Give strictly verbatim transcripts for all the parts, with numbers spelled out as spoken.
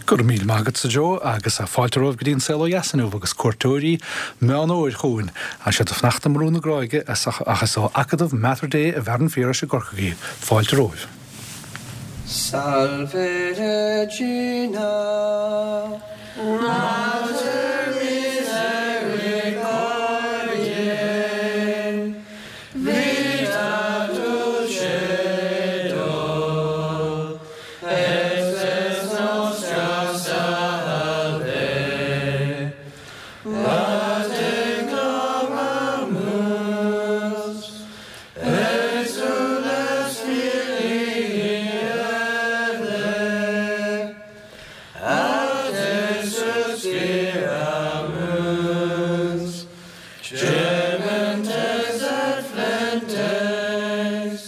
Go raibh míle maith agatsa Joe agus fáilte romhaibh go dtí an Saol Ó Dheas inniu agus cuairteoirí Meán Fhómhair chugainn. Tá siad ag fanacht i mBrú na Gráige ach is ó Acadamh Mater Dei i bhFearann Phiarais i gCorcaigh iad. Fáilte romhaibh. Salve Regina Mater misericordiae Vita dulcedo Et spes nostra salve A te clamamus Exules filii Evae A te suspiramus Gementes et flentes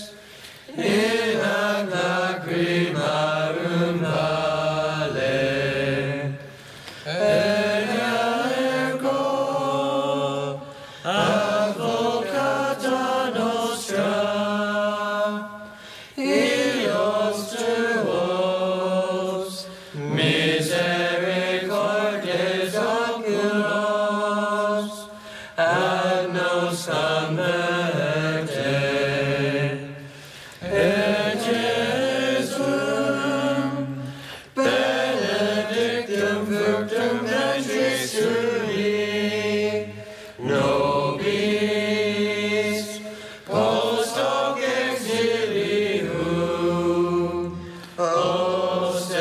In hac lacrimarum valle Ea ergo advocata nostra Illos tuos misericordes oculos ad nos converte Et Jesum benedictum fructum ventris tui nobis post hoc exilium ostende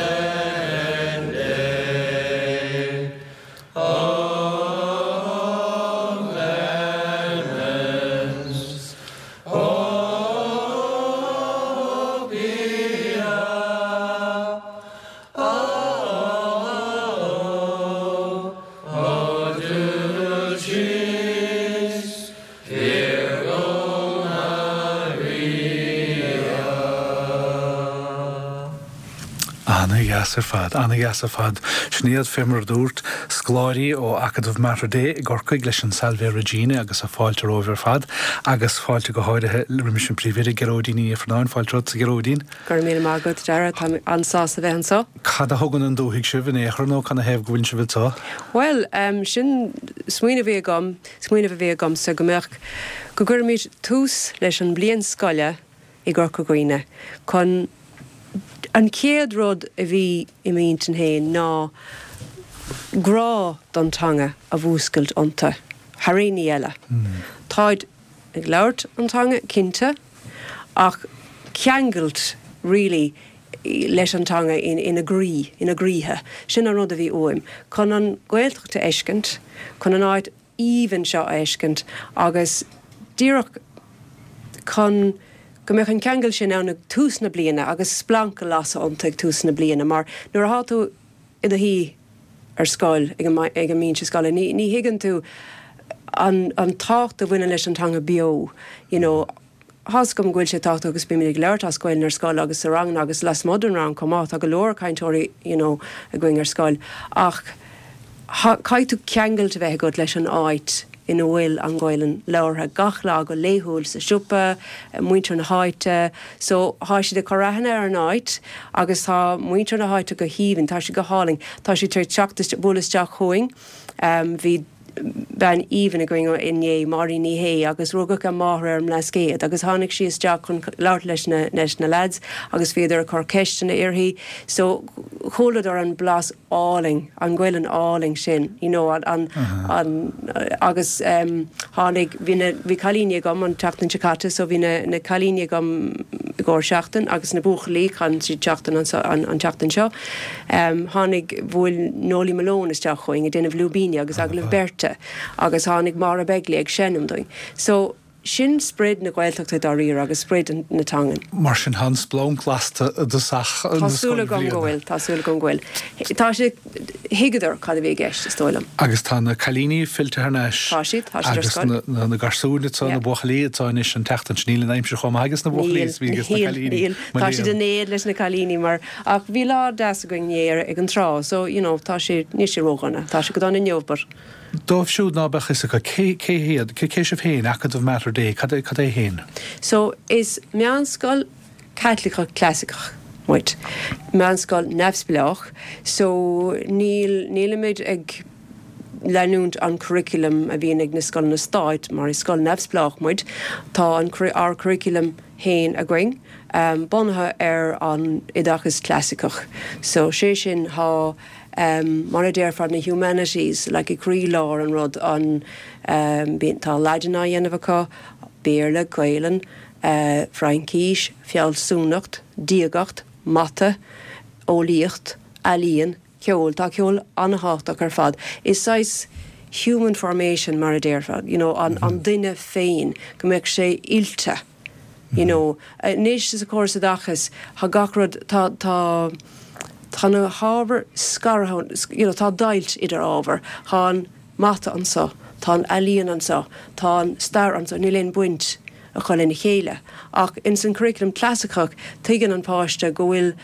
O clemens O pia O O dulcis Virgo Maria. Ana-dheas ar fad, ana-dheas ar fad. Sin iad fé mar a dúirt scoláirí ó Acadamh Mater Dei i gCorcaigh leis an Salve Regina agus a fáilte romhaibh ar fad agus fáilte go háirithe roimis an bpríomhoide Gearóidín Ní Ifearnáin fáilte romhat a Ghearóidín. Go raibh míle maith agat Dara tá an-sásta bheith anseo. Cad a thugann an dúthaigh sibh in aon chor nó canathaobh go bhfuil sibh anseo? Well, um, sin smaoineamh a bhí agam, smaoineamh a bhí agam sa go mbeadh go gcuirfimid tús leis an bliain scoile i gCorca Dhuibhne chun an chéad rud a bhí i m'intinn féin ná grá don teanga a mhúscailt iontu thar aon ní eile. Táid ag labhairt an teanga cinnte ach ceangailt really leis an teanga in, ina gcroí, ina gcroíthe. Sin an rud a bhí uaim. Chun an Ghaeltacht a fheiscint, chun an áit aoibhinn seo a fheiscint agus díreach chun go mbeadh an ceangal sin ann ag tús na bliana agus splanc a lasadh iontu ag tús na bliana, mar nuair atá tú i do shuí ar scoil ag an ag an mbinse scoile, ní, ní thuigeann tú an, an tábhacht a bhaineann leis an teanga beo, you know, Tá go bhfuil sé tábhachtach agus bímid ag labhairt as Gaeilge ar scoil agus sa rang agus lasmuigh den rang chomh maith tá go leor cainteoirí you know, againn ar scoil ach caithfidh tú ceangal a bheith agat leis an áit ina bhfuil an Ghaeilge labhartha gach lá go laethúil sa siopa, muintir na háite, so tá siad ag cur aithne ar an áit agus tá muintir na háite go haoibhinn, tá siad go hálainn, Tá siad tar teacht bualadh isteach chugainn, um, bhí bean aoibhinn againn inné Máirín Ní Shé agus rugadh a máthair ar an mBlascaod agus tháinig sí isteach chun labhairt leis na leis na lads agus bhíodar ag cur ceisteanna uirthi so chualadar an blas álainn an Ghaeilge álainn sin you know, an, an, an agus um, tháinig bhí na bhí cailíní agam an tseachtain seo caite so bhí na, na cailíní agam i gcomhair seachtain agus na buachaillí chun siad seachtain an, an, an tseachtain seo. Um, tháinig bhuail Noli Malone isteach chugainn ag déanamh lúibíní agus agallamh beirte agus tháinig Máire Begley ag seinm dúinn. So sin sprid na Gaeltachta dáiríre agus sprid na teangan. Mar sin tá an splanc lasta do sach Tá súil agam go bhfuil, tá súil agam go bhfuil. Tá sé thuigeadar cad a bhí i gceist is dóigh liom. Agus tá na cailíní fillte thar n-ais. Tá siad, tá siad ar agus scoil. na, na, na garsúin atá Yeah. na buachaillí atá anois an tseachtain sin níl an aimsir chomh maith agus na buachaillí is bhí agus na níl, cailíní. níl. Tá siad in éad leis na cailíní mar ach bhí lá deas againn inné ag an trá, so you know, tá sé ní sé ródhona, tá sé go dona inniu, but Dóibh siúd ná beadh fhios acu cé cé hiad cé cé sibh féin Acadamh Mater Dei cad é cad é féin. So is meánscoil Caitliceach clasaiceach muid. Meánscoil neamhspleách, so níl nílimid ag leanúint an curriculum a bhíonn ag na scoileanna stáit mar is scoil neamhspleách muid, tá an ár curriculum féin againn um, bunaithe ar an oideachas clasaiceach. So sé sin tá um, mar a déarfá na humanities like i gcroílár an rud an um, tá Laidin á dhéanamh acu, Béarla, Gaelainn, uh, Fraincis, fealsúnacht, diagacht, mata, eolaíocht, ealaín, ceol, tá ceol an-tábhachtach ar fad. Is saghas human formation mar a déarfá, you know, an, mm -hmm. an duine féin go mbeadh sé oilte. You know, anois sa chóras oideachais tá gach rud tá tá tá na hábhair scartha you know, tá deighilt idir ábhair, tá an mata anseo, tá an ealaíon anseo, tá an stair anseo, níl aon bhaint acu lena chéile. Ach in san curriculum clasaiceach tuigeann an páiste go bhfuil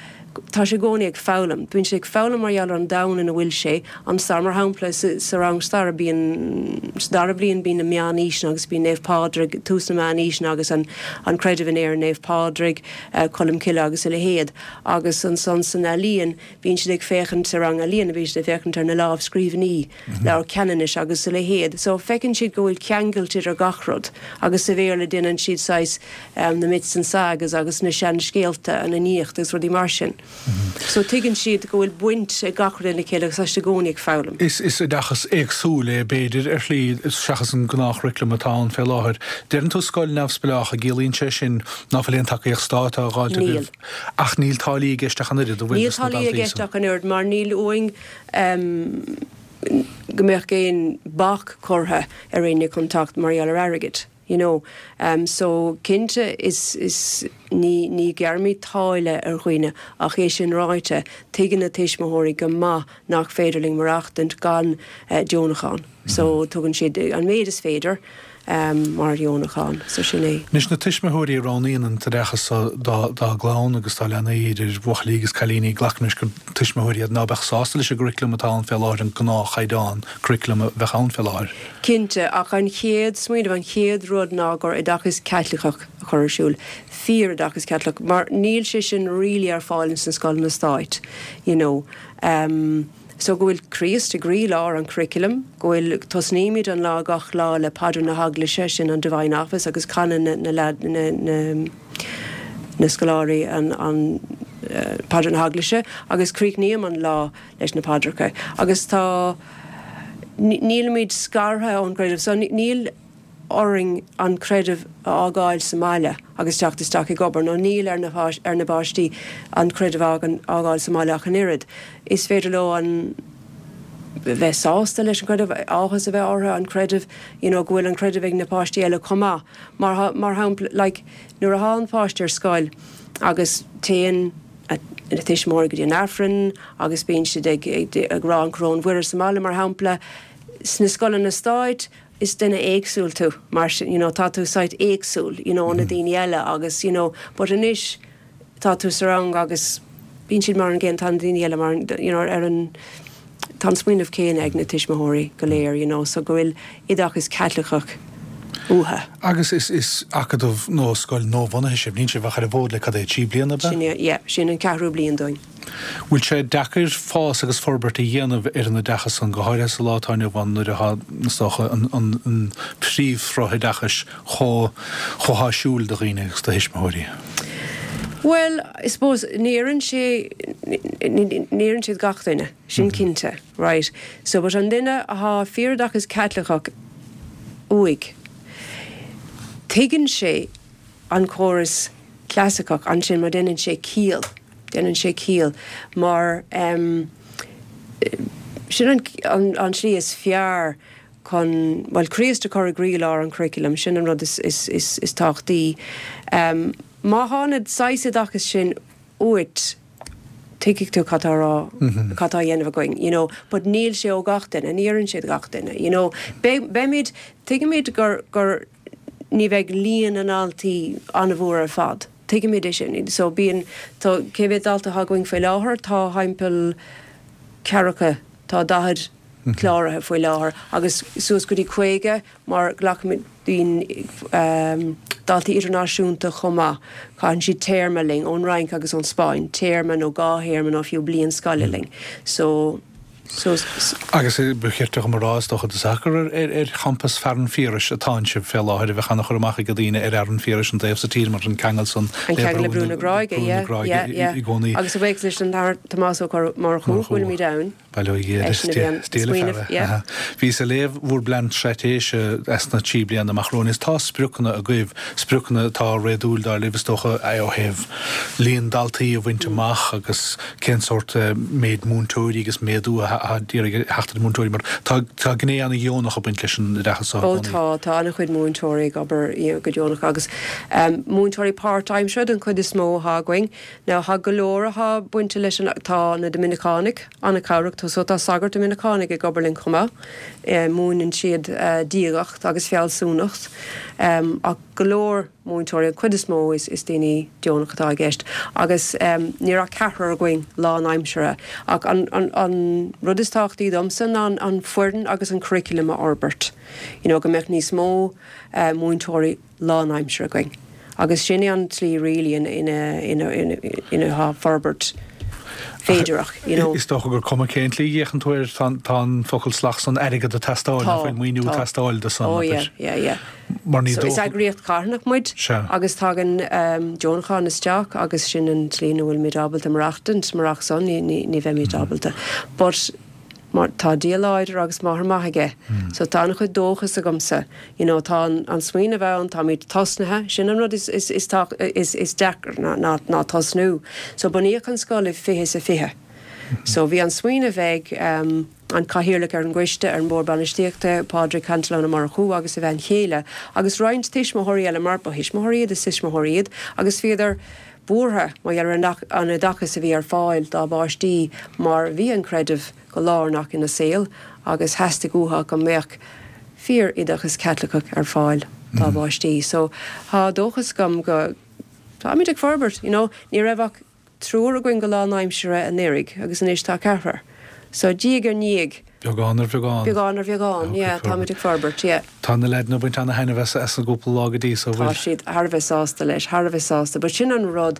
tá sé i gcónaí ag foghlaim. Bíonn sé ag foghlaim mar gheall ar an domhan ina bhfuil sé an stair mar shampla sa rang stair bíonn dara bliain bíonn na meánaoiseanna agus bíonn Naomh Pádraig tús na meánaoiseanna agus an, an creideamh in Éirinn Naomh Pádraig, uh, Colm Cille agus a leithéid agus ansan san ealaíon bíonn siad ag féachaint sa rang ealaíon bíonn siad ag féachaint ar na lámhscríbhinní mm -hmm. Leabhar Ceanannais agus a leithéid. So feiceann siad go bhfuil ceangal idir gach rud agus sa Bhéarla déanann siad saghas um, na myths and sagas agus na seanscéalta an Fhiannaíocht agus rudaí mar sin. Mm -hmm. So tuigeann siad go bhfuil baint ag gach rud lena chéile agus i gcónaí ag foghlaim. Is is oideachas éagsúil é b'fhéidir ar shlí seachas an gnáthchuraclam atá ann fé láthair. Deireann tú scoil neamhspleách an gciallaíonn sé sin ná fuil aon tacaíocht stáit á fháil Níl. Ach níl táillí i gceist ach an oiread Níl táillí i gceist ach an oiread mar níl uainn um, go mbeadh aon bac curtha ar éinne chun teacht mar gheall ar airgead. You know, um, so cinnte is, is ní, ní ghearraimid táille ar dhaoine ach é sin ráite tuigeann na tuismitheoirí go maith nach féidir linn maireachtaint gan uh, deonachán. Mm -hmm. So tugann siad an méid is féidir um, mar dheonachán, so sin é. Anois na tuismitheoirí a roghnaíonn an t-oideachas dá dá gclann agus dá leanaí idir bhuachaillí agus cailíní glacaim leis gur tuismitheoirí iad ná beadh sásta leis an gcuraclam atá ann fé láthair an gnáthchaighdeán curaclam a bheadh ann fé láthair. Cinnte ach an chéad smaoineamh an chéad rud ná gur oideachas Caitliceach a chur ar siúl. Fíoroideachas Caitliceach, mar níl sé sin really ar fáil sna scoileanna stáit, you know. Um, So go bhfuil Críost i gcroílár an curriculum, go bhfuil tosnaímid an lá gach lá le paidir na heaglaise sin an Divine Office agus canann na, na, na, na, na scoláirí an, an uh, paidir na heaglaise agus críochnaím an lá leis na paidreacha. Agus tá nílimid scartha ón gcreideamh, so níl orainn an creideamh a fhágáil sa mbaile agus teacht isteach ag obair, nó níl ar na, ar na páistí an creideamh a fhágáil sa mbaile ach an oiread. Is féidir leo an bheith sásta leis an creideamh áthas a bheith orthu an creideamh you know, go bhfuil an creideamh ag na páistí eile chomh maith. Mar, mar shampla like, nuair atá an páiste ar scoil agus téann na tuismitheoirí go dtí an Aifreann agus bíonn siad ag, ag, ag rá an Choróin Mhuire sa mbaile mar shampla sna scoileanna stáit is duine éagsúil tú mar sin you know, tá tú saghas éagsúil you know, mm -hmm. na daoine eile agus you know, but anois tá tú sa rang agus bíonn siad mar an gcéanna tá daoine eile mar you know, ar an tá smaoineamh céanna ag na tuismitheoirí go léir you know, so go bhfuil oideachas Caitliceach uathu. Agus is is acadamh nó scoil nuabhunaithe sibh níl sibh ach ar an bhfód le cad é trí bliana Sin yeah, sin an ceathrú bliain dúinn. Bhfuil sé deacair fás agus forbairt a dhéanamh ar an oideachas an go háirithe sa lá atá inniu ann nuair atá an, an, an príomhshruth oideachais chomh chomh háisiúil do dhaoine agus do thuismitheoirí. Well, I suppose ní oireann sé ní oireann sé gach duine sin mm -hmm. cinnte, right? So but an duine atá fíoroideachas Caitliceach uaidh. Tuigeann sé an córas clasaiceach ansin mar déanann sé ciall, déanann sé ciall mar um, sin an, an, an slí is fearr chun well Críost a chur i gcroílár an curriculum sin an rud is, is, is, is tábhachtaí. Um, má tá an saghas oideachas sin uait tuigfidh tú cad rá cad tá á dhéanamh againn, you know, but níl sé do gach duine, ní oireann sé gach duine, you know. Beimid tuigimid gur gur ní bheidh líon na ndaltaí an-mhór ar fad. Tuigimid é sin, so bíonn cé mhéad dalta againn faoi láthair tá timpeall ceathracha tá daichead cláraithe faoi láthair agus suas go dtí caoga mar glacaimid daoine daltaí idirnáisiúnta chomh maith. Caitheann siad téarma linn ón Fhrainc agus ón Spáinn, téarma nó dhá théarma nó fiú bliain scoile linn. So so Agus ba cheart dom a rá is dócha do gur ar ar champas Fhearann Phiarais atá sibh fé láthair a bheith an-chur amach ag daoine ar Fhearann Phiarais an taobh sa tír mar an ceangal san An ceangal le Brú na Gráige, yeah, yeah, yeah. i gcónaí. Agus a bhuíochas leis an Tomás Ó Murchú bhfuilimid ann. Bhíos ag léamh bhur bplean straitéise as na trí bliana amach romhainn is tá spriocanna agaibh, spriocanna atá réadúil dar libh is dócha ó thaobh líon daltaí a bhaint amach agus cén sórt méid múinteoirí agus méadú a d'iarraidh theacht ar múinteoirí mar tá tá gné an-dheonach ag baint leis an oideachas seo. Ó tá tá an-chuid múinteoirí ag obair go deonach agus múinteoirí páirtaimseartha den chuid is mó atá againn. Now tá go leor atá bainte leis an tá na Doiminiceánaigh an-chabhrach so tá sagart Doiminiceánach ag obair linn chomh maith. Múineann siad diagacht agus fealsúnacht ach go leor múinteoirí an chuid is mó is is daoine deonach atá i gceist agus níl ach ceathrar againn lánaimseartha ach an an an rud is tábhachtaí domsa ná an an foireann agus an curriculum a fhorbairt. You know, go mbeadh níos mó uh, múinteoirí lánaimseartha againn. Agus sin é an tslí really ina ina ina ina ina forbairt féidireach you know. Is dócha gur cuma cén tslí a dhéanann tú air tá an focal salach san airgead ag teastáil faoin maoiniú ag teastáil do san. Oh yeah, yeah, yeah. Mar ní So is eagraíocht charthanach muid agus tagann um, deonacháin isteach agus sin an tslí ina bhfuilimid ábalta maireachtaint murach san ní, ní, ní bheimid ábalta. But mar tá Dia láidir agus máthair maith aige. Mm. So tá an-chuid dóchas agamsa. You know, tá an, an smaoineamh ann, táimid tosnaithe, sin an rud is, is, is, is, is deacair ná, ná, ná tosnú. So bunaíodh an scoil i fiche sa fiche. So bhí an smaoineamh ag um, an cathaoirleach ar an gcoiste ar an mbord bainistíochta Pádraig Cantillon Murchú agus a bhean chéile, agus roinnt tuismitheoirí eile mar ba thuismitheoirí iad is tuismitheoirí iad, agus bhíodar buartha mar gheall ar an oideachas a bhí ar fáil dá bpáistí mar bhí an creideamh go lárnach ina saol agus theastaigh uathu go mbeadh fíoroideachas Caitliceach ar fáil dá bpáistí. So tá dóchas agam go táimid ag forbairt, you know, ní raibh ach triúr againn go lánaimseartha anuraidh agus anois tá ceathrar. So diaidh ar ndiaidh. Beagán ar bheagán. Beagán ar bheagán, yeah, táimid ag forbairt, yeah. Tá na leaideanna ag baint ana-thaitneamh as as an gcúpla lá go dtí so Tá siad thar a bheith sásta leis, thar a bheith sásta, but sin an rud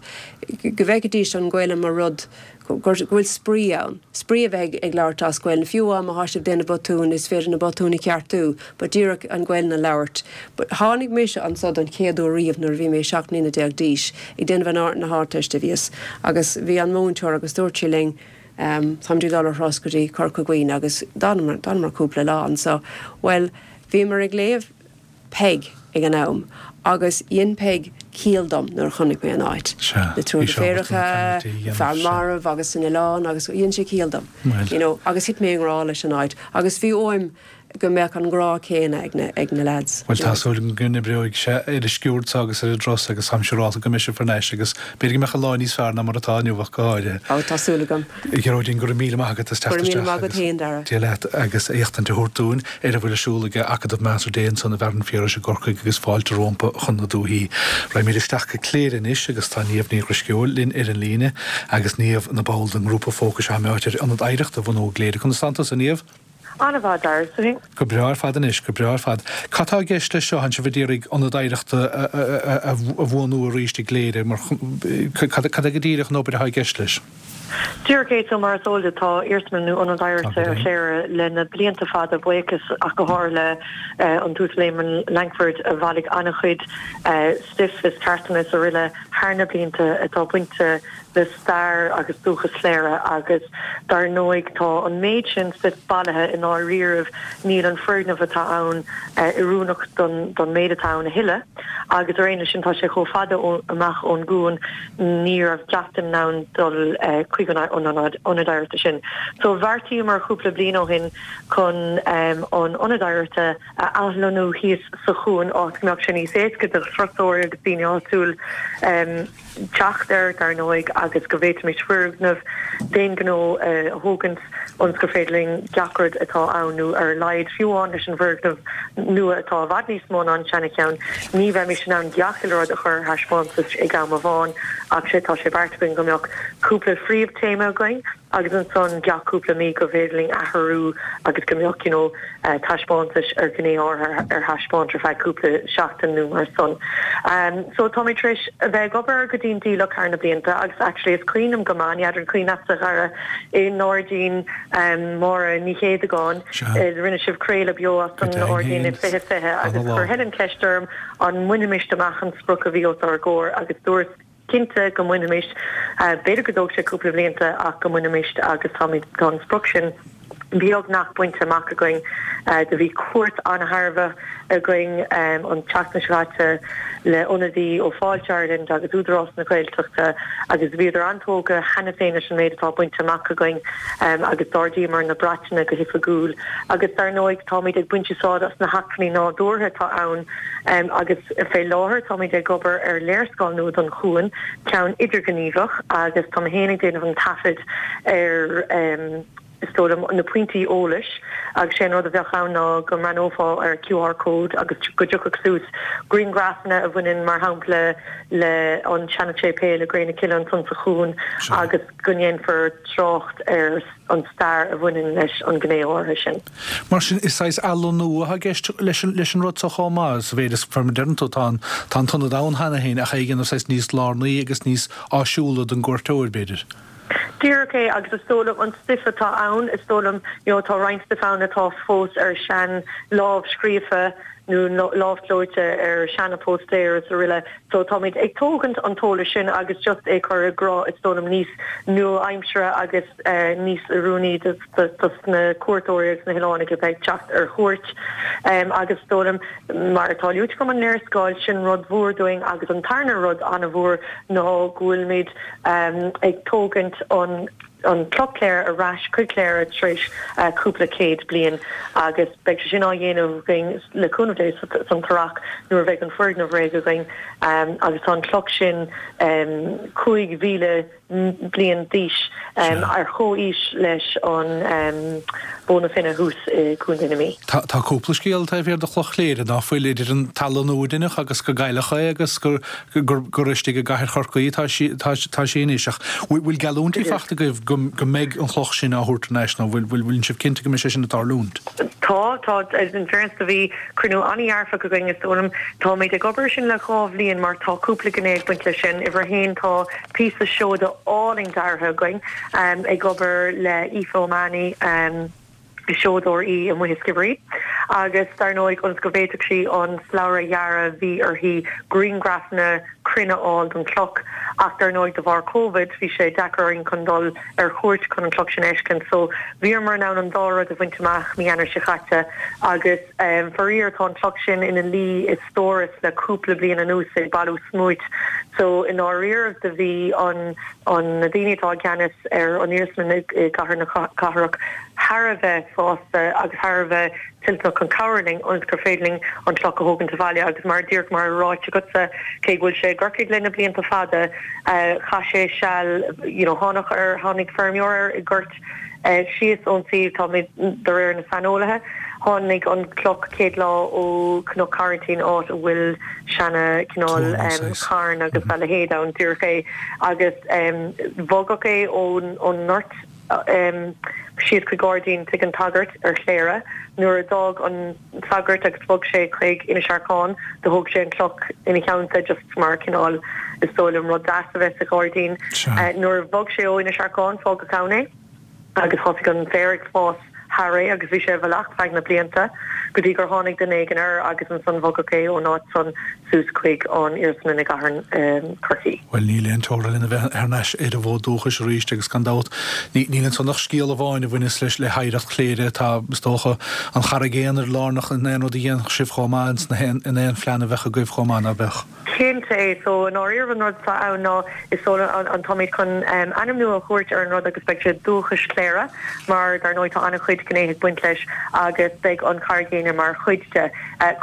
go bhfeicfidís an Ghaeilge mar rud go bhfuil spraoi ann. Spraoi a bheith ag labhairt as Gaeilge, fiú má tá sibh ag déanamh botún is féidir na botúin a cheartú, but díreach an Ghaeilge a labhairt. But tháinig mise anseo don chéad uair riamh nuair a bhí mé seacht mbliana déag d'aois ag déanamh na hArdteiste bhíos, agus bhí an múinteoir agus dúirt sí linn, um, táimid ag dul ar thuras go dtí Corca Dhuibhne agus d'fhanamar cúpla lá anseo. Well, bhíomar ag léamh Peig ag an am agus dhein Peig ciall dom nuair a chonaic mé an áit. Na triúr deirfiúracha, fear marbh agus san oileán agus dhein sé ciall dom. You know, agus thit mé i ngrá leis an áit. Agus bhí uaim go mbeadh an grá céanna ag na, ag na lads. Well tá súil go n-oibreoidh sé ar an sciúrd agus ar an dturas agus táim siúrálta go mbeidh sibh thar n-ais agus b'fhéidir go mbeadh an lá níos fearr ná mar atá inniu ach go háirithe. Ó tá súil agam. Gearóidín go raibh míle maith agat as teacht Go raibh míle maith agat féin, Dara. Dia leat agus éachtaint a thabhairt dúinn ar a bhfuil ar siúl ag Acadamh Mater Dei ansan i bhFearann Phiarais i gCorcaigh agus fáilte rompu chun na dúthaí. Raghaimid isteach go Cléire anois agus tá Niamh Ní Dhrisceoil linn ar an líne agus Niamh ina ball den ngrúpa fócais atá ar ionad oidhreachta a bhunú i gCléire. Conas tánn tusa Niamh? An-mhaith Dara sin. Go breá ar fad anois, go breá ar fad. Cad tá i gceist leis seo tánn sibh ag iarraidh ionad oidhreachta a bhunú arís i gCléire mar cad é go díreach an obair atá i gceist leis? Díreach é so mar is eol duit tá iarsmalann nó ionad oidhreachta ar Chléire le na blianta fada buíochas ach go háirithe le an tUasal Éamon Lankford a bhailigh an-chuid stuif is cartlanna is araile thar na blianta atá bainte le stair agus dúchas Chléire agus dar ndóigh tá an méid sin stuif bailithe i ndáiríribh níl an foirgneamh atá ann oiriúnach don don méid atá ann a thuilleadh agus ar aon leis sin tá sé chomh fada amach ón gcuan ní raibh gach duine in ann dul chuig an ionad oidhreachta sin. So bheartaíomar cúpla bliain ó shin chun an ionad oidhreachta a athlonnú thíos sa chuan áit go mbeadh sé níos éasca do thurasóirí agus daoine áitiúil teacht air, dar ndóigh, agus go bhféadfaimis foirgneamh d'aon ghnó a thógaint ionas gur féidir linn gach rud atá ann, nó ar a laghad, fiú amháin leis an bhfoirgneamh nua atá i bhfad níos mó ná an seana-cheann, ní bheimis in ann gach uile rud a chur ar thaispeántas ag am amháin, ach sé tá sé beartaithe againn go mbeadh cúpla phríomh-téama againn. agus ansan gach cúpla mí go bhféidir linn athrú agus go mbeadh you know, uh, taispeántais ar ghné áirithe ar thaispeáint ar feadh cúpla seachtain nó mar san. Um, so tá mé tar éis a bheith ag obair go dian dícheallach thar na blianta agus actually is cuimhin liom go maith n'fheadar an cuimhin leatsa a Dhara i nGairdín um, Máire Ní Chéadagáin rinne sibh craoladh beo as an ngairdín i fiche fiche agus chuir Helen ceist orm an mbainfimis amach an sprioc a bhí os ár gcomhair agus dúirt cinnte go mbainfimis b'fhéidir go dtóg sé cúpla blianta ach go mbainfimis agus tá tá an sprioc sin beagnach bainte amach againn do bhí cuairt an-thairbheach againn an tseachtain seo caite le ionadaí ó Fáilte Ireland agus Údarás na Gaeltachta agus bhíodar an-tógtha cheana féin leis an méid atá bainte amach againn agus d'ardaíomar na bratacha go hoifigiúil agus dar ndóigh táimid ag baint úsáid as na hacmhainní nádúrtha atá ann agus fé láthair táimid ag obair ar léarscáil nua don chuan ceann idirghníomhach agus tá mé féin ag déanamh an taifead ar is dóigh liom na pointí eolais agus sé an rud a bheadh ann ná go mbreathnófá ar QR code agus go dtiocfadh suas grianghrafanna a bhaineann mar shampla le an seana-séipéal i gCré na Cille ansan sa chuan agus go ndéanfar trácht ar an stair a bhaineann leis an gné áirithe sin. Mar sin is saghas athlonnú atá i gceist leis an leis an rud seo chomh maith, sa mhéid is mar a deireann tú tá an tá an t-ionad ann cheana féin ach é a dhéanamh saghas níos lárnaí agus níos áisiúla don gcuairteoir b'fhéidir. Díreach é agus is dóigh liom an stuif atá ann, is dóigh liom you know tá roinnt stuif ann atá fós ar sean lámh scríofa nó lámhchlóite ar seana póstaeir is araile. So táimid ag tógaint an t-eolas sin agus just é chur i gcruth is dóigh liom níos nua-aimseartha agus uh, níos oiriúnaí dos na cuairteoirí agus na hoileánaigh a bheidh ag teacht ar chuairt. Um, agus is dóigh liom mar atá luaite agam an léarscáil sin rud mhór dúinn agus an tarna rud an-mhór ná go bhfuilimid um, ag tógaint an an Cloch Chléire ar ais chuig Cléire tar éis uh, cúpla céad bliain agus beidh sé sin á dhéanamh againn le cúnamh Dé san t-earrach nuair a bheidh an foirgneamh réidh againn um, agus tá an cloch sin um, cúig mhíle bliain d'aois um, ar chomhaois leis an um, Bó na Finne thuas i gContae na Mí. Tá tá cúpla scéal taobh thiar de Chloch Chléire ná fuil idir an t-athlonnú a deineadh agus gur cailleadh é agus gur gur gur istigh i gcathair Chorcaí tá sí tá tá sé anois ach bhfuil geallúintí faighte agaibh go go mbeidh an chloch sin á thabhairt thar n-ais nó bhfuil bhfuil bhfuil sibh cinnte go mbeidh sé sin ag tarlúint. Tá tá in fairness do bhí cruinniú an-dhearfach againn is dóigh liom táimid ag obair sin le dhá bhliain mar tá cúpla gné ag baint leis sin uimhir a haon tá píosa seoda álainn deartha againn um, ag obair le Aoife O'Mahony um, seodóir í amuigh i Skibbereen agus dar ndóigh ionas go bhféadfadh sí an slabhra a dhearadh bhí uirthi grianghrafanna cruinne a fháil don chloch ach dar ndóigh de bharr COVID bhí sé deacair orainn chun dul ar chuairt chun an cloch sin a fheiscint so bhíomar in ann an dá rud a bhaint amach mí Eanáir seo caite agus um, faraor tá an cloch sin ina luí i stóras le cúpla bliain anuas ag bailiú smúit so i ndáiríre do bhí an an na daoine atá i gceannas ar an iarsmalann i gcathair na cathrach thar a bheith sásta agus thar a bheith toilteanach chun cabhrú linn ionas gur féidir linn an cloch a thógaint abhaile agus mar díreach mar ráite agatsa cé go bhfuil sé i gCorcaigh le na blianta fada uh, chaith sé seal you know, tháinig ar tháinig feirmeoir air i ngort uh, síos ón suíomh tá de réir na saineolaithe tháinig an cloch céad lá ó Cnoc Coraintín áit a bhfuil seana cineál um, carn agus mm -hmm. a leithéid ann díreach é agus um, bhogadh é ón ón ngort um, síos chuig gairdín tigh an tsagairt ar Chléire nuair a d'fhág an sagart agus bhog sé chuig Inis Arcáin do thóg sé an cloch ina theannta just mar cineál is dóigh liom rud deas a bheith sa ghairdín uh, nuair a bhog sé ó Inis Arcáin fágadh ann é agus thosaigh an féar ag fás thar é agus bhí sé i bhfolach feadh na blianta go dtí gur tháinig duine éigin air agus ansan bhogadh é ón áit san suas chuig an iarsmalann i gcathair um, Chorcaí. Well níl aon teora lena bheith thar n-ais ar an bhfód dúchais arís agus gan dabht níl ansan ach scéal amháin a bhaineas leis le hoidhreacht Chléire tá is dócha an Charraig Aonair lárnach in aon rud a dhéanfadh sibh chomh maith in aon phlean a bheadh agaibh chomh maith ná beadh. Cinnte é so an áir an rud atá ann ná is so an táimid chun um, ainm nua a thabhairt ar an rud agus beidh sé dúchas Chléire mar dar ndóigh tá an-chuid gnéithe ag baint leis agus beidh an Charraig Aonair mar chuid de.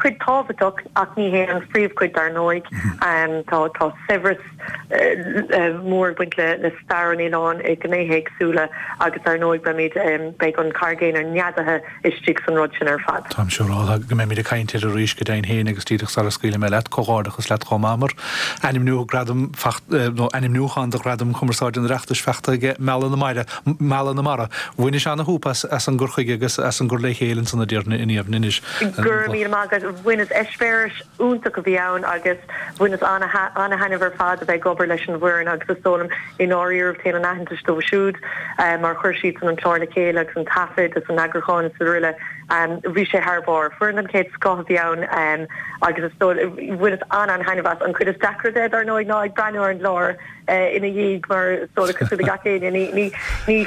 Cuid tábhachtach ach ní hé an phríomhchuid dar ndóigh. Tá tá saibhreas mór ag baint le le stair an oileáin i ngnéithe éagsúla agus dar ndóigh beimid beidh an Charraig Aonair neadaithe istigh san rud sin ar fad. Táim siúráilte go mbeimid ag caint air arís go deimhin féin agus díreach sara scaoilfidh mé leat, comhghairdeachas leat chomh maith mar ainmniú gradam nó ainmniúchán do Ghradam Cumarsáide an Oireachtais faighte aige Mealladh na Mara, Mealladh na Mara. Bhainis ana-shúp as as an gcur chuige agus as an gcur le chéile ansan a déarfainn a Niamh anois. Go raibh míle maith agat. Bhaineas eispéireas iontach a bhí ann agus bhaineas ana-thaitneamh ar fad a bheith ag obair leis an bhfoireann agus is dóigh liom i ndáiríribh téann an aitheantas dóibh siúd mar chuir siadsan an clár le chéile agus an taifead is an eagrúchán is araile. Bhí sé thar barr. Foireann den chéad scoth a bhí ann agus is dóigh bhaineas an-an-thaitneamh as. An chuid is deacra de, dar ndóigh, ná ag breathnú ar an gclár ina dhiaidh mar is dóigh cosúil le gach éinne ní ní ní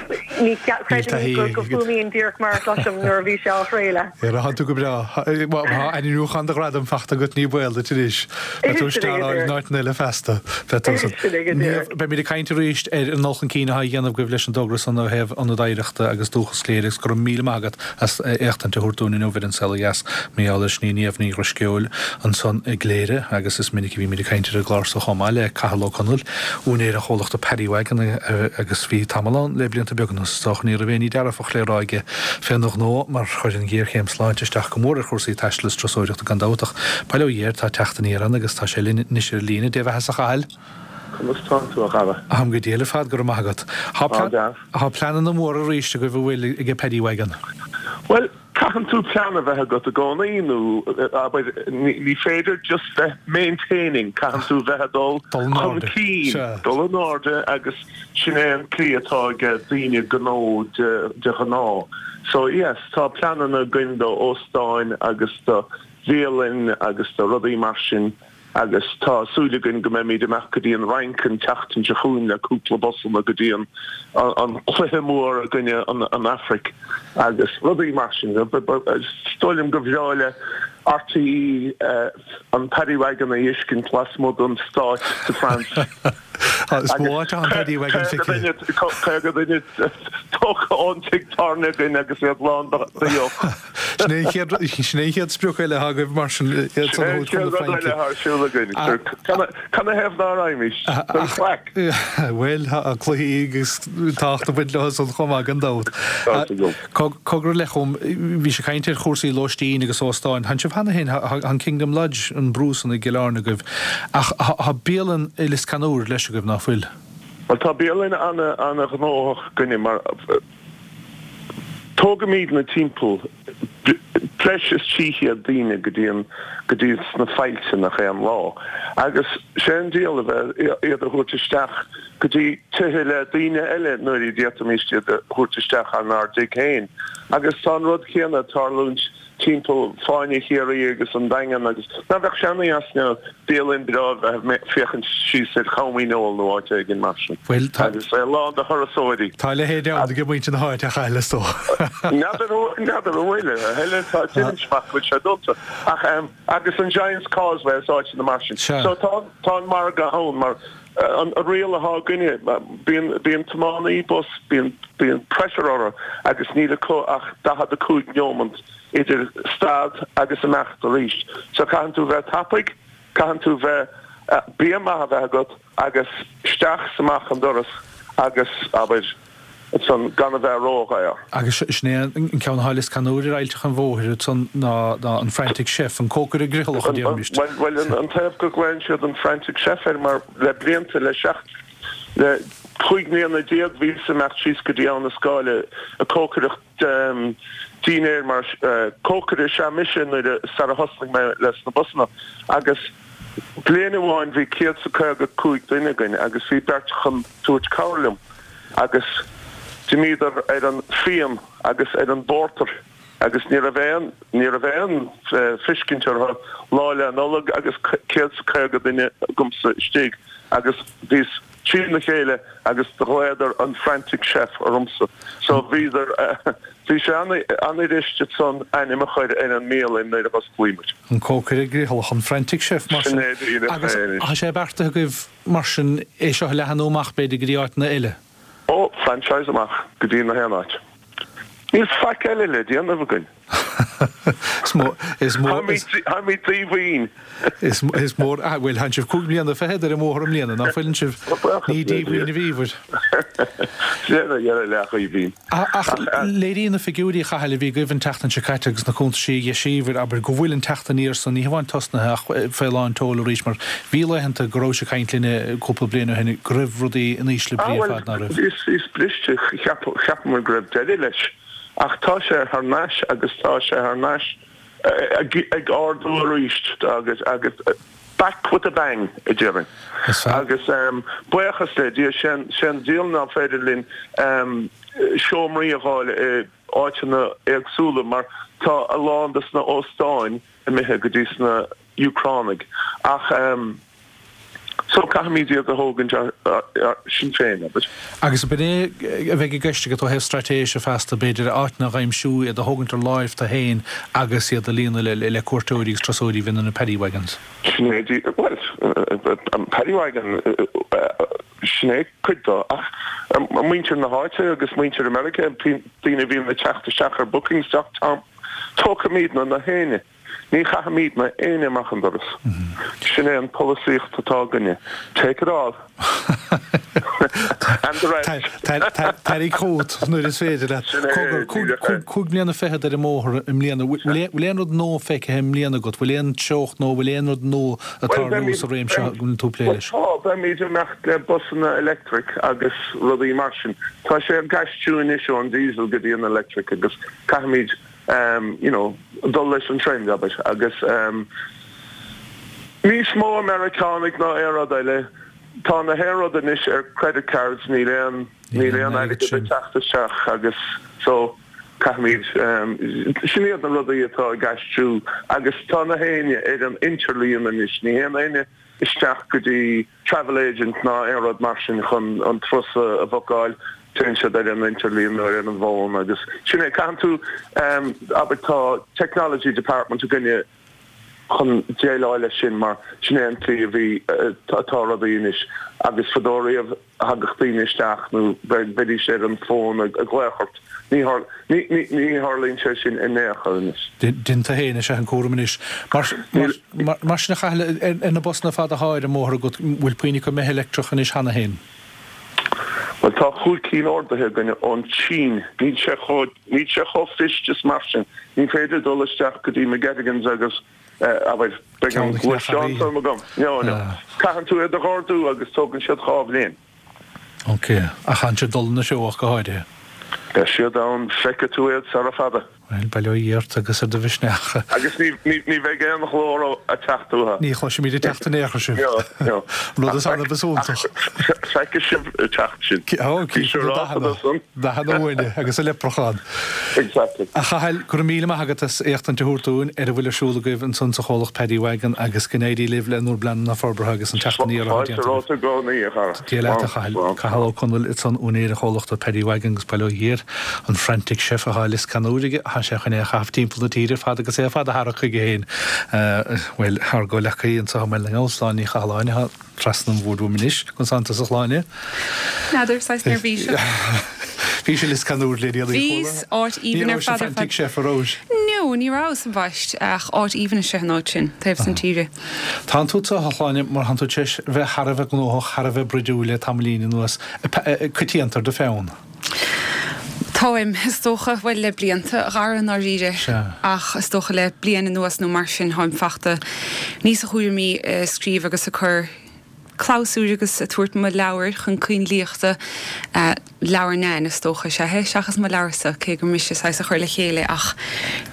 ní chreidim go bhfuaimníonn díreach mar a chloisim nuair a bhí sé á chraoladh. Tá tú go breá. Tá ainmniúchán do ghradam faighte agat ní baol duit anois. Beidh tú isteach in áiteanna eile feasta. Beidh tú san. Beimid ag caint arís ar an dul chun cinn atá á dhéanamh agaibh leis an dtogra san ó thaobh Ionad Oidhreachta agus Dúchas Chléire agus go raibh míle maith agat as éachtaint a thabhairt dúinn inniu ar An Saol Ó Dheas. Mar gheall air sin í Niamh Ní Dhrisceoil ansan i gCléire agus is minic a bhímid ag caint ar an gclár so chomh maith le Cathal Ó Conaill, úinéir an chomhlachta Paddy Wagon agus bhí tamall ann le blianta beaga anuas is dócha ní raibh aon ní dearfach le rá aige féna ghnó mar chuir an ghéarchéim sláinte isteach go mór ar chúrsaí taistil is turasóireachta gan dabht ach bail ó Dhia air tá teacht aniar ann agus tá sé linn anois ar an líne. Dé bheatha a Chathail. Conas tánn tú, a Dhara? Táim go diail ar fad, go raibh maith agat. Tá pleananna móra arís agaibh an bhfuil ag Paddy Wagon? Bhuel, caitheann tú plean a bheith agat i gcónaí nó, abair, ní féidir just bheith maintaining, caitheann tú bheith ag dul chun cinn, dul in airde agus sin é an tslí atá ag daoine gnó de ghnáth. So yes, tá pleananna againn do óstáin agus do bhialainn agus do rudaí mar sin. Agus tá súil againn go mbeimid amach go dtí an Fhrainc an tseachtain seo chugainn le cúpla busanna go dtí an an cluiche mór i gcoinne an Afraic agus rudaí mar sin. Is dóigh liom gur bhreá le RTÉ an Paddy Wagon a fheiscint lasmuigh den Stade de France. Is mó áit atá an Paddy Wagon feicthe. Caoga duine tógtha ón tigh tábhairne againn agus iad lán de dheoch. Sin é an chéad sin é an chéad sprioc eile atá agaibh mar sin iad san a thabhairt chun na Fraince. Sin é an chéad rud eile atá ar siúl againn. Canathaobh ná raghaimís? Don chraic. Bhuel, tá cluichí agus tábhacht ag baint leo san chomh maith gan dabht. Cogar le chum, bhí sé ag caint ar chúrsaí lóistín agus óstáin. Tánn sibh cheana féin, tá an Kingdom Lodge, an brú san i gCill Airne agaibh, ach tá bialann i Lios Ceannúir leis agaibh, ná fuil? Bhuel, tá bialann ana-ghnóthach againne mar tógaimidne timpeall breis is trí chéad daoine go dtí an, go dtí sna faillte nach aon lá. Agus sé an diabhal a bheith iad a thabhairt isteach go dtí tithe le daoine eile nuair a d'fhéadfaimis iad a thabhairt isteach inár dtigh féin. Agus tá an rud céanna ag tarlúint timpeall Fáinne Chiarraí agus an Daingean agus ná bheadh sé ana-dheas nó bialann breá a bheith ag féachaint síos ar Chom Uí Néill nó áit éigin mar sin Bhuel, tá. agus é lán de thurasóirí. Tá a leithéid ann ag muintir na háite a Chathail, is dócha. N'fheadar n'fheadar an bhfuil, a thuilleadh, tá déanaim amach go bhfuil sé dúnta. Ach ehm agus an Giant's Causeway is áiteanna mar sin. Sea. So tá tá an margadh ann mar an riail atá againne bíonn bíonn tiománaí bus bíonn bíonn pressure orthu agus níl acu ach daichead a cúig neomant idir stad agus imeacht arís. So caitheann tú bheith tapaidh, caitheann tú bheith, bia maith a bheith agat agus isteach 's amach an doras agus, abair, ansan gan a bheith ródhaor. Agus sin é an ceann atá i Lios Ceannúir ar Aillteach an Bhóthair ansan ná ná an Frantic Chef, an cócaire griothálach a déarfaimis. Bhuel, bhuel an taobh go nglaonn siad an Frantic Chef air mar le blianta, le seacht, le cúig mbliana déag bhíos ag imeacht síos go dtí Abha na Scáile ag cócaireacht dinnéir mar cócaire is ea mise nuair a sara thosnaigh mé leis na busanna agus bliain amháin bhí céad 's a caoga cúig duine againn agus bhí beirt chun tabhairt cabhair liom agus d'imíodar ar an fíon agus ar an bpórtar agus ní raibh aon ní raibh aon feiscint orthu lá 'le Nollag agus céad 's a caoga duine agamsa istigh agus bhíos trína chéile agus do ghlaodar an Frantic Chef ormsa. So bhíodar, bhí sé an-fhuirist ansan ainm a chur ar an mbialann nuair a dh'osclaigh muid. An cócaire griothálach, an Frantic Chef mar sin. Sin é díreach Agus é. tá sé beartaithe agaibh mar sin é seo a leathanú amach b'fhéidir go dtí áiteanna eile? Ó, franchise amach go dtí na haon áit. Níl faic eile le déanamh againn. Is mór, is mór, is. Táimid díomhaoin. Is, is mór, ah, bhuel, tánn sibh cúig bliana fichead ar an mbóthar i mbliana, ná fuileann sibh? Ní díomhaoin a bhíobhair. Sin a dheireadh leath-dhíomhaoin. Ach léiríonn na figiúirí, a Chathail, a bhí agaibh an tseachtain seo caite agus na cuntaisí a dheisíobhair, abair, go bhfuil an teacht aniar san ní hamháin tosnaithe ach fé lán tseoil arís, mar bhí laethanta go rabhais ag caint linne cúpla bliain ó shin go raibh rudaí in ísle brí ar fad, ná raibh? Ah, bhuel, bhíos briste, cheapamar go raibh deireadh leis. Ach tá sé thar n-ais agus tá sé thar n-ais ag ardú arís agus agus back with a bang, a déarfainn. Agus buíochas le Dia, sé an diabhal ná féidir linn seomraí a dh'fháil i áiteanna éagsúla mar tá a lán de sna óstáin imithe go dtí sna Úcránaigh. Ach. So caithfimid iad a thógaint sinn féin, abair. Agus ab in é a bheidh i gceist agat ó thaobh straitéise feasta, b'fhéidir, áiteanna a aimsiú, iad a thógaint ar láimh tú féin agus iad a líonadh le cuairteoirí agus turasóirí a bhíonn ar na paddy wagons? Sin é, bhuel, an paddy wagon, sin é cuid dó. Ach muintir na háite agus muintir America, daoine a bhíonn ag teacht isteach ar bookings dot com, tógfaimidne na héinne. Ní chaithfimidne éinne amach an doras. Sin é an polasaíocht atá againne. Take it all. And the rest. Tarraing chugat nuair is féidir leat. Sin é, Cogar, díreach é. cúig bliana fichead ar an mbóthar i mbliana. Bhfuil aon rud nua feicthe i mbliana agat? Bhfuil aon treocht nó bhfuil aon rud nua ag Bhuel, tarlú beimid, sa réimse seo go bhfuil tú ag plé bhuel leis? tá, beimid ag imeacht le busanna electric agus rudaí mar sin. Tá sé ag aistriú anois ón diesel go dtí an electric agus caithfimid um, you know, dul leis an trend, abair, agus um, níos mó Meiriceánaigh ná aon rud eile. Tá na haon rud anois ar credit cards, níl aon níl aon airgead ag teacht isteach agus so caithfimid um, sin iad na rudaí atá ag aistriú agus tá na héinne ar an idirlíon anois, ní théann éinne isteach go dtí travel agent ná aon rud mar sin chun an turas a bhookáil, téann siad ar an idirlíon nó ar an bhfón agus sin é. Caitheann tú, abair tá technology department againne chun déileáil leis sin mar sin é an tslí a bhí, atá rudaí anois agus fadó riamh thagadh daoine isteach nó bheidís ar an bhfón ag glaoch ort. Ní tharlaíonn sé sin in aon chor anois. Déanann tú féin is ea an cúram anois. Mar sin a Chathail, ar na busanna fada atá ar an mbóthar agat, bhfuil puinn acu imithe leictreach anois cheana féin? Bhuel, tá chúig cinn ordaithe againn ón tSín. Níl sé chomh, níl sé chomh fuirist is mar sin. Ní féidir dul isteach go dtí McGettigans agus, abair, beidh an gluaisteán agam. No, no. Caitheann tú iad a dh'ordú agus tógann siad dhá bhliain. Ok, ach tánn siad ag dul ina threo ach go háirithe. Beidh siad ann, feicfidh tú iad sara fada. Bhuel, bail ó Dhia ort agus ar do mhisneach. Agus ní, ní, ní bheidh aon ghlór ag teacht uathu. Ní chloisfimid ag teacht in aon chor sibh. No, no. Rud is annamh is iontach. Feicfidh sibh ag teacht sinn. Ó, cífidh na dathanna, dathanna uaine agus an leipreachán. Exactly. A Chathail, go raibh míle maith agat as éachtaint a thabhairt dúinn ar a bhfuil ar siúl agaibh ansan sa chomhlacht Paddy Wagon agus go n-éirí libh le bhur bpleananna forbartha agus an teacht aniar atá Fáilte déanta agaibh. romhat i gcónaí, a chara. Dia leat, a Slán, Chathail. slán. Cathal Ó Conaill ansan, úinéir an chomhlachta Paddy Wagon agus bail ó Dhia air, an Frantic Chef atá i Lios Ceannúir aige, tá sé chun é a chaitheamh timpeall na tíre ar fad agus é ar fad a tharrac chuige féin. Bhuel, ár gcomhghleacaí anseo i mBaile na nGall, Sláine Ní Chathalláin, atá trasna an bhoird uaim anois, conas tánn tusa a Shláine? N'fheadar, saghas neirbhíseach. Bhís i Lios Ceannúir le déanaí, Bhíos, áit Ní aoibhinn ar raibh sa fad ar Frantic fad. Chef, an rabhais? No, ní rabhas ambaist, ach áit aoibhinn is ea an áit sin, taobh san tíre. Tánn tú anseo, a Shláine, mar tánn tú tar éis bheith thar a bheith gnóthach, thar a bheith bruidiúil le tamaillín anuas, coitianta ar do pheann. Táim, is dócha, bhuel, le blianta, a Dhara, i ndáiríre, ach is dócha le bliain anuas nó mar sin, táim fachta níos cúramaí ag scríobh agus ag cur clabhsúir agus ag tabhairt mo leabhair chun cainlíochta, leabhar Nan, is dócha, is ea é, seachas mo leabharsa, cé gur mise saghas a chuir le chéile ach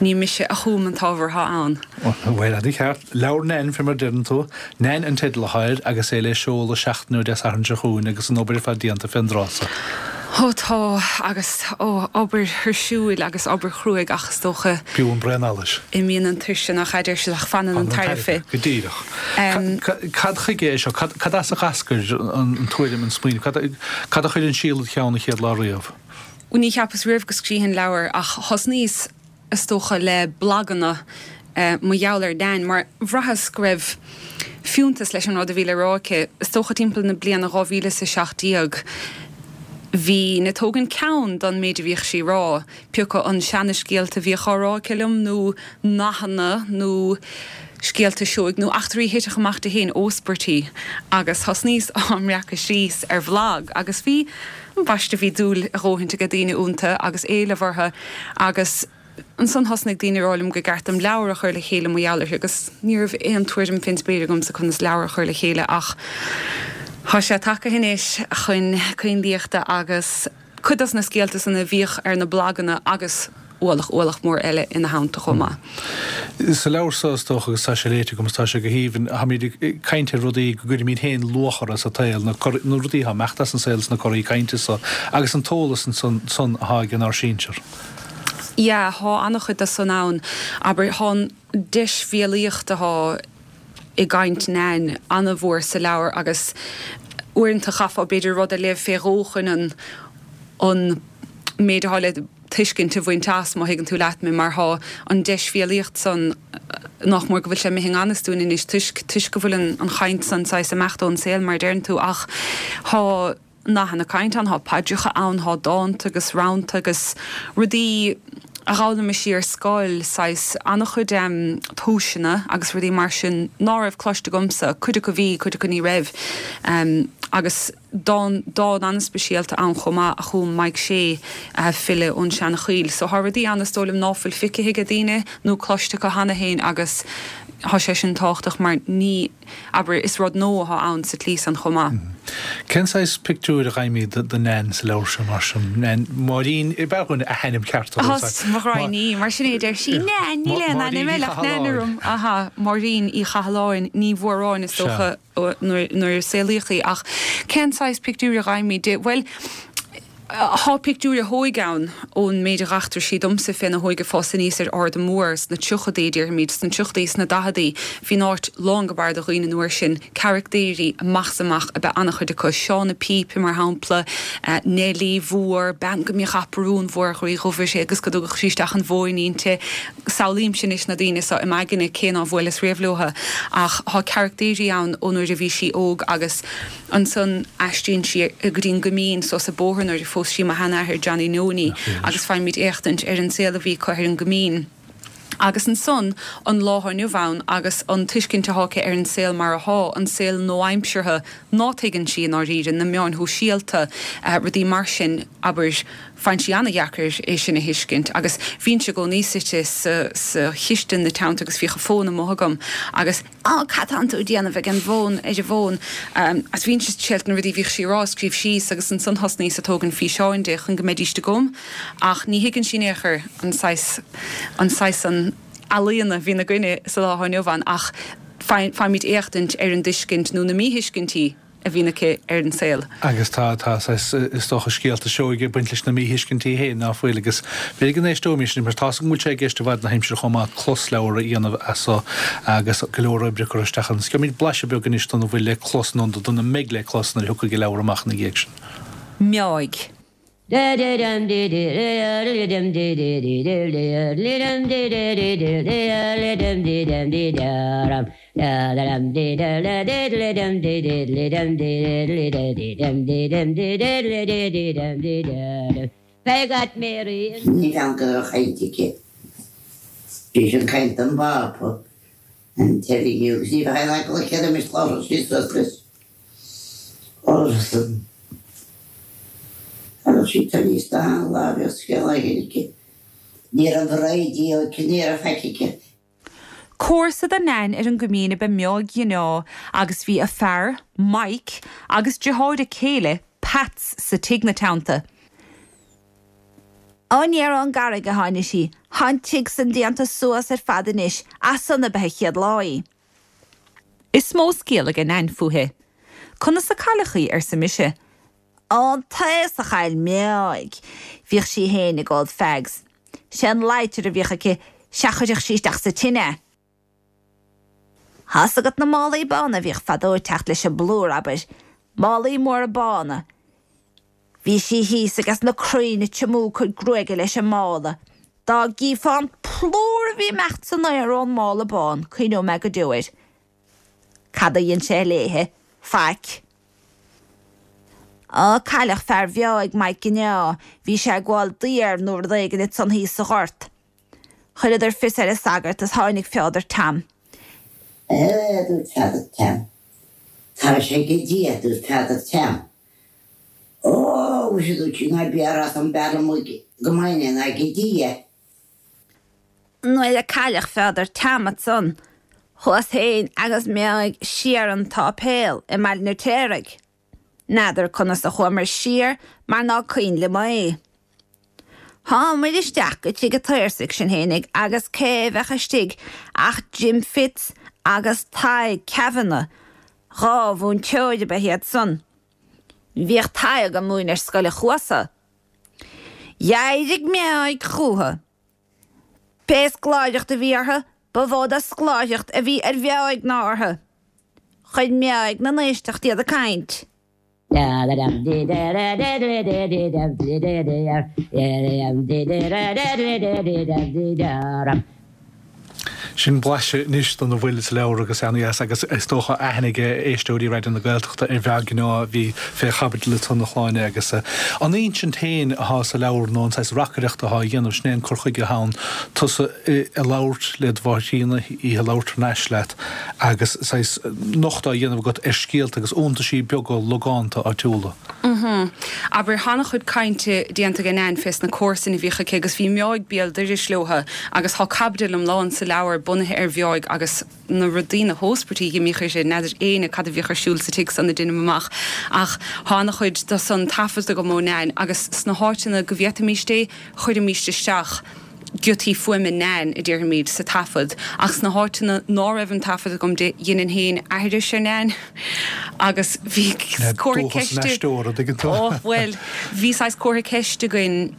ní mise a chum an t-ábhar atá ann. Bhuel, an-cheart. Leabhar Nan, fé mar a deireann tú. Nan an teideal atá air agus é le seoladh seachtain ó Dé Sathairn seo chugainn agus an obair ar fad déanta fén dtráth so. Ó tá, agus ó, obair thuirsiúil agus obair chruaidh ach is dócha. B'fhiú an braon allais. Imíonn an tuirse nach ea, deir siad ach fanann an tairbhe. Go díreach. Cad chuige é seo? Cad as a d'eascair an tuairim, an smaoineamh? Cad a chuir an síol id cheann an chéad lá riamh? Ní cheapas riamh go scríobhfainn leabhar ach thosnaíos is dócha le blaganna mar gheall ar Nan mar bhraitheas go raibh fiúntas leis an rud a bhí le rá aici. Is dócha timpeall na bliana dhá mhíle is a seacht déag. Bhínn ag tógaint ceann don méid a bhíodh sí rá, pioca an seana-scéalta a bhíodh á rá aici liom nó nathanna nó scéalta seoigh nó eachtraí a thitfeadh amach di fhéin óspairtí agus thosnaíos á mbreacadh síos ar bhlag agus bhí, ambaiste, bhí dúil a dhóthaint aige daoine iontu agus éileamh orthu agus. Ansan thosnaigh daoine a rá liom go gceart dom leabhar a chur le chéile mar gheall uirthi agus ní raibh aon tuairim fén spéir agamsa conas leabhar a chur le chéile ach thá sé tagtha anois chun coinlíochta agus cuid dos na scéalta san a bhíodh ar na blaganna agus ualach, ualach mór eile ina theannta chomh maith. Sa leabhar so, is dócha, agus tá sé léite agam agus tá sé go haoibhinn, táimid ag caint ar rudaí go gcuirimid féin luach orthu sa tsaol, na rudaí atá ag imeacht as an saol sna corraí cainte so agus an t-eolas ansan san atá ag inár sinsear. Yeah, thá an-chuid de san ann. Abair, thá an deisbhéalaíocht athá i gcaint Nan an-mhór sa leabhar agus uaireanta chaithfeá b'fhéidir rud a léamh fé dhó chun an an méid athá le tuiscint a bhaint as, má thuigeann tú leat mé, mar thá an deisbhéalaíocht san nach mór go bhfuil sé imithe i ngan fhios dúinn anois toisc toisc go bhfuil an an chaint san saghas imeacht ón saol mar a deireann tú ach thá nathanna cainte ann, thá paidreacha ann, thá dánta agus rannta agus rudaí a d'fhoghlaimigh sí ar scoil, saghas an-chuid tomhaiseanna agus rudaí mar sin ná raibh cloiste agamsa, cuid acu bhí, cuid acu ní raibh. Agus dán, dán an-speisialta ann chomh maith a chum Mike Shea, file ón Seanchoill. So thá rudaí ann is dóigh liom ná fuil feicthe aige daoine nó cloiste acu cheana féin agus thá sé sin tábhachtach mar ní, abair, is rud nua athá ann sa tslí san chomh maith. Cén saghas pictiúir a fhaighimid de Nan sa leabhar seo mar sin? Nan, Máirín, b'fhearr dhúinn a hainm ceart a thabhairt. Mo ghraidhin í, mar sin é a deir sí, Nan, níl aon ainm eile ach Nan orm. Aha, Máirín Uí Chathalláin, Ní Mhóráin is dócha nuair a saolaíodh í. Ach cén saghas pictiúir a fhaighimid di? Bhuel, Thá pictiúir a hóige ann ón méid a dh'eachtraigh sí domsa féna hóige ag fás aníos ar Ard an Mór sna tríochadaí, déarfaimid, sna tríochadaí, sna daicheadaí. Bhí an áit lán go barr de dhaoine an uair sin. Caractéirí amach is amach ab ea an-chuid acu. Seán a' Phípe, mar shampla, Neilí Mhór, bean go mbíodh aprún mhór ghroí dhubh uirthi agus go dtugadh sí isteach an mhóin inti. Samhlaímse anois na daoine so i m'aigne cé ná bhuaileas riamh leotha. Ach thá caractéirí ann ón uair a bhí sí óg agus. Ansan aistríonn sí go dtí an gCoimín suas an bóthar nuair a phós sí mo sheanathair Johnny Nonie agus faighimid éachtaint ar an saol a bhí acu ar an gCoimín. Agus ansan an lá thá inniu ann agus an tuiscint athá aici ar an saol mar athá, an saol nua-aimseartha ná tuigeann sí i ndáiríre, na meáin shóisialta, rudaí mar sin, abair, faigheann sí an-dheacair é sin a thuiscint. Agus bhínnse i gcónaí suite sa chistin ina teannta agus bhíodh an fón amuigh agam agus, Á, cad tánn tú ag déanamh ag an bhfón, ar an bhfón? Agus bhínnse ag triail na rudaí a bhíodh sí a rá a scríobh síos agus ansan thosnaíos ag tógaint físeáin di chun go mbeidíst agam. Ach ní thuigeann sí in aon chor an saghas, an saghas san ealaíona a bhíonn againne sa lá atá inniu ann ach faighimid éachtaint ar an dtuiscint nó na míthuiscintí a bhíonn aici ar an saol. Agus tá, tá saghas, is dócha, scéalta seoigh ag baint leis na míthuiscintí féin, ná fuil? Agus b'fhéidir go n-éisteoimis anois, mar tá's agam go bhfuil sé i gceist i bhfad na haimsire chomh maith closleabhar a dhéanamh as so agus go leor oibre curtha isteach ann. Gheobhaimid blaiseadh beag anois dona bhfuil le clos nó dona mbeidh le clos nuair a thiocfaidh an leabhar amach ina dhiaidh sin. Meáigh. Níl ann go raibh caint aici. Bhí sin caint don bPápa, an teilifís agus ní bheadh aon eagla aici roimis labhradh sí suas leis. Orthu. Thagadh sí aníos do an lá a bhíodh scéal éigin aici. Ní raibh raidió aici, ní raibh faic aici. Comharsa do Nain ar an gCoimín ab ea Meáig Mhná agus bhí a fear, Mike, agus deartháir a céile, Peats, sa tigh 'na teannta. Aniar ón gCarraig a tháini sí. Thá an tigh san déanta suas ar fad anois, as san ab ea a chéad lá í. Is mó scéal aige Nain fúithi. Conas a cailleadh í, arsa mise. An taos a chaill Meáig. Bhíodh sí fhéin ag ól fags. Sé an lighter a bhíodh aici, sea chuireadh sí isteach sa tine é. Thá's agat na málaí bána a bhíodh fadó ag teacht leis an bplúr, abair. Málaí móra bána. Bhí sí thíos ages na crainn ag tiomú a cuid gruaige leis an mála. Dá gcífeá an plúr a bhí ag imeacht san aer ón mála bán, cuimhneoidh mé go deo air. Cad a dhein sé léithe? Faic. Á, cailleadh fear Mheáig, Mike Gineá, bhí sé ag gabháil daor nó rud éigin ansan thíos sa ghort. Chuireadar fios ar an sagart is tháinig Peadar Tam. A dúirt Peadar Tam. Tar sé go Dia, a dúirt Peadar Tam. Ó, mhuise, a dúirt sí, ná bí á rá san b'fhearr liom go mbeinn ná go Dia. Nuair a cailleadh Pheadar Tam ansan, chuas féin agus Meáig siar an tsáipéal i mBaile an Fheirtéaraigh. N'fheadar conas a chuamar siar mar ná cuimhin liom é. Thámair isteach go tigh an tSaorsaigh sinn fhéinig agus cé bheadh istigh ach Jim Fitz agus Tadhg Kavanagh, dhá mhúinteoir ab ea iad san. Bhíodh Tadhg ag múineadh ar Scoil an Chuasa. D'éirigh Meáig chúthu. Pé scoláireacht a bhí orthu, ba mhó de scoláireacht a bhí ar Mheáig ná orthu. Chuir Meáig 'na n-éisteacht iad ag caint. Sin blaiseadh anois den a bhfuil sa leabhar agus ana-dheas agus is dócha aithne ag éisteoirí Raidió na Gaeltachta ar Mheáig Gineá a bhí fé chaibidil ansan a Shláine agus an insint féin athá sa leabhar nó an saghas reacaireachta athá á dhéanamh, sin é an cur chuige athá ann, tusa ag labhairt le do mháthair chríonna, í ag labhairt thar n-ais leat agus saghas nochtadh á dhéanamh agat ar scéalta agus iontaisí beaga logánta áitiúla. Mhm. Abair, thá an-chuid cainte déanta ag Nain fés na comharsain a bhíodh aici agus bhí Meáig béal dorais leotha agus thá caibidil iomlán sa leabhar bunaithe ar Mheáig agus na rudaí, na hóspairtí a dh'imíodh uirthi, n'fheadar éinne cad a bhíodh ar siúl sa tigh san a deinim amach ach thá an-chuid de san taifeadta agam ó Nain agus sna háiteanna go bhféadfaimíst é, chuirimíst isteach. giotaí fuaime Nain, a déarfaimid, sa taifead, ach sna háiteanna ná raibh an taifead agam di, dheininn féin aithris ar Nain agus bhí comhartha Dóchas an ceiste, aisteora, dtuigeann tú. Ó, bhuel, bhí saghas comhartha ceiste againn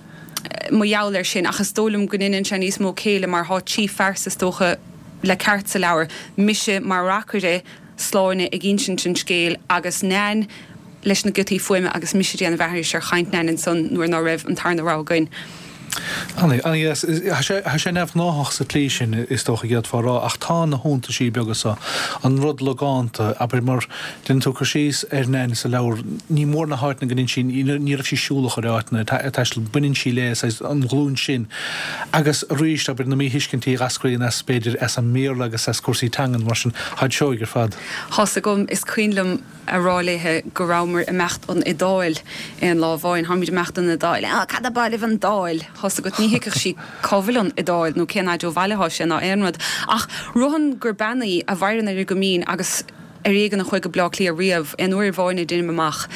mar gheall air sin, ach is dóigh liom go ndeineann sé níos mó céille mar thá trí phearsa, is dócha, le ceart sa leabhar, mise mar reacaire, Sláine ag insint an scéil agus Nain leis na giotaí fuaime agus mise ag déanamh aithris ar chaint Nain ansan nuair ná raibh an tarna rogha againn. Ana-dheas. Tá sé neamhghnáthach sa tslí sin, is dócha, d'fhéadfá a rá, ach tá na hiontaisí beaga so, an rud logánta, abair, mar déanann tú cur síos ar Nain sa leabhar, ní mór na háiteanna go ndéanann sí, ní raibh sí siúlach ar áiteanna, ag taisteal, baineann sí le, saghas, an ghlúin sin. Agus arís, abair, na míthuiscintí a eascraíonn as, b'fhéidir, as an mBéarla agus as cúrsaí teangan, mar sin, táid seoigh ar fad. Thá's agam, is cuimhin liom a rá léithe go rabhamar imeacht 'on Iodáil aon lá amháin. Tháimid imeacht 'on Iodáil. Á, cad ab áil libh an Dáil? Thá's agat, ní thuigfeadh sí cá bhfuil an Iodáil nó cén fhaid ó bhaile athá sé ná aon rud. Ach rothann gur bean í a mhaireann ar an gCoimín agus ar éigean a chuaigh go Bleá Cliath riamh, aon uair amháin a deinim amach.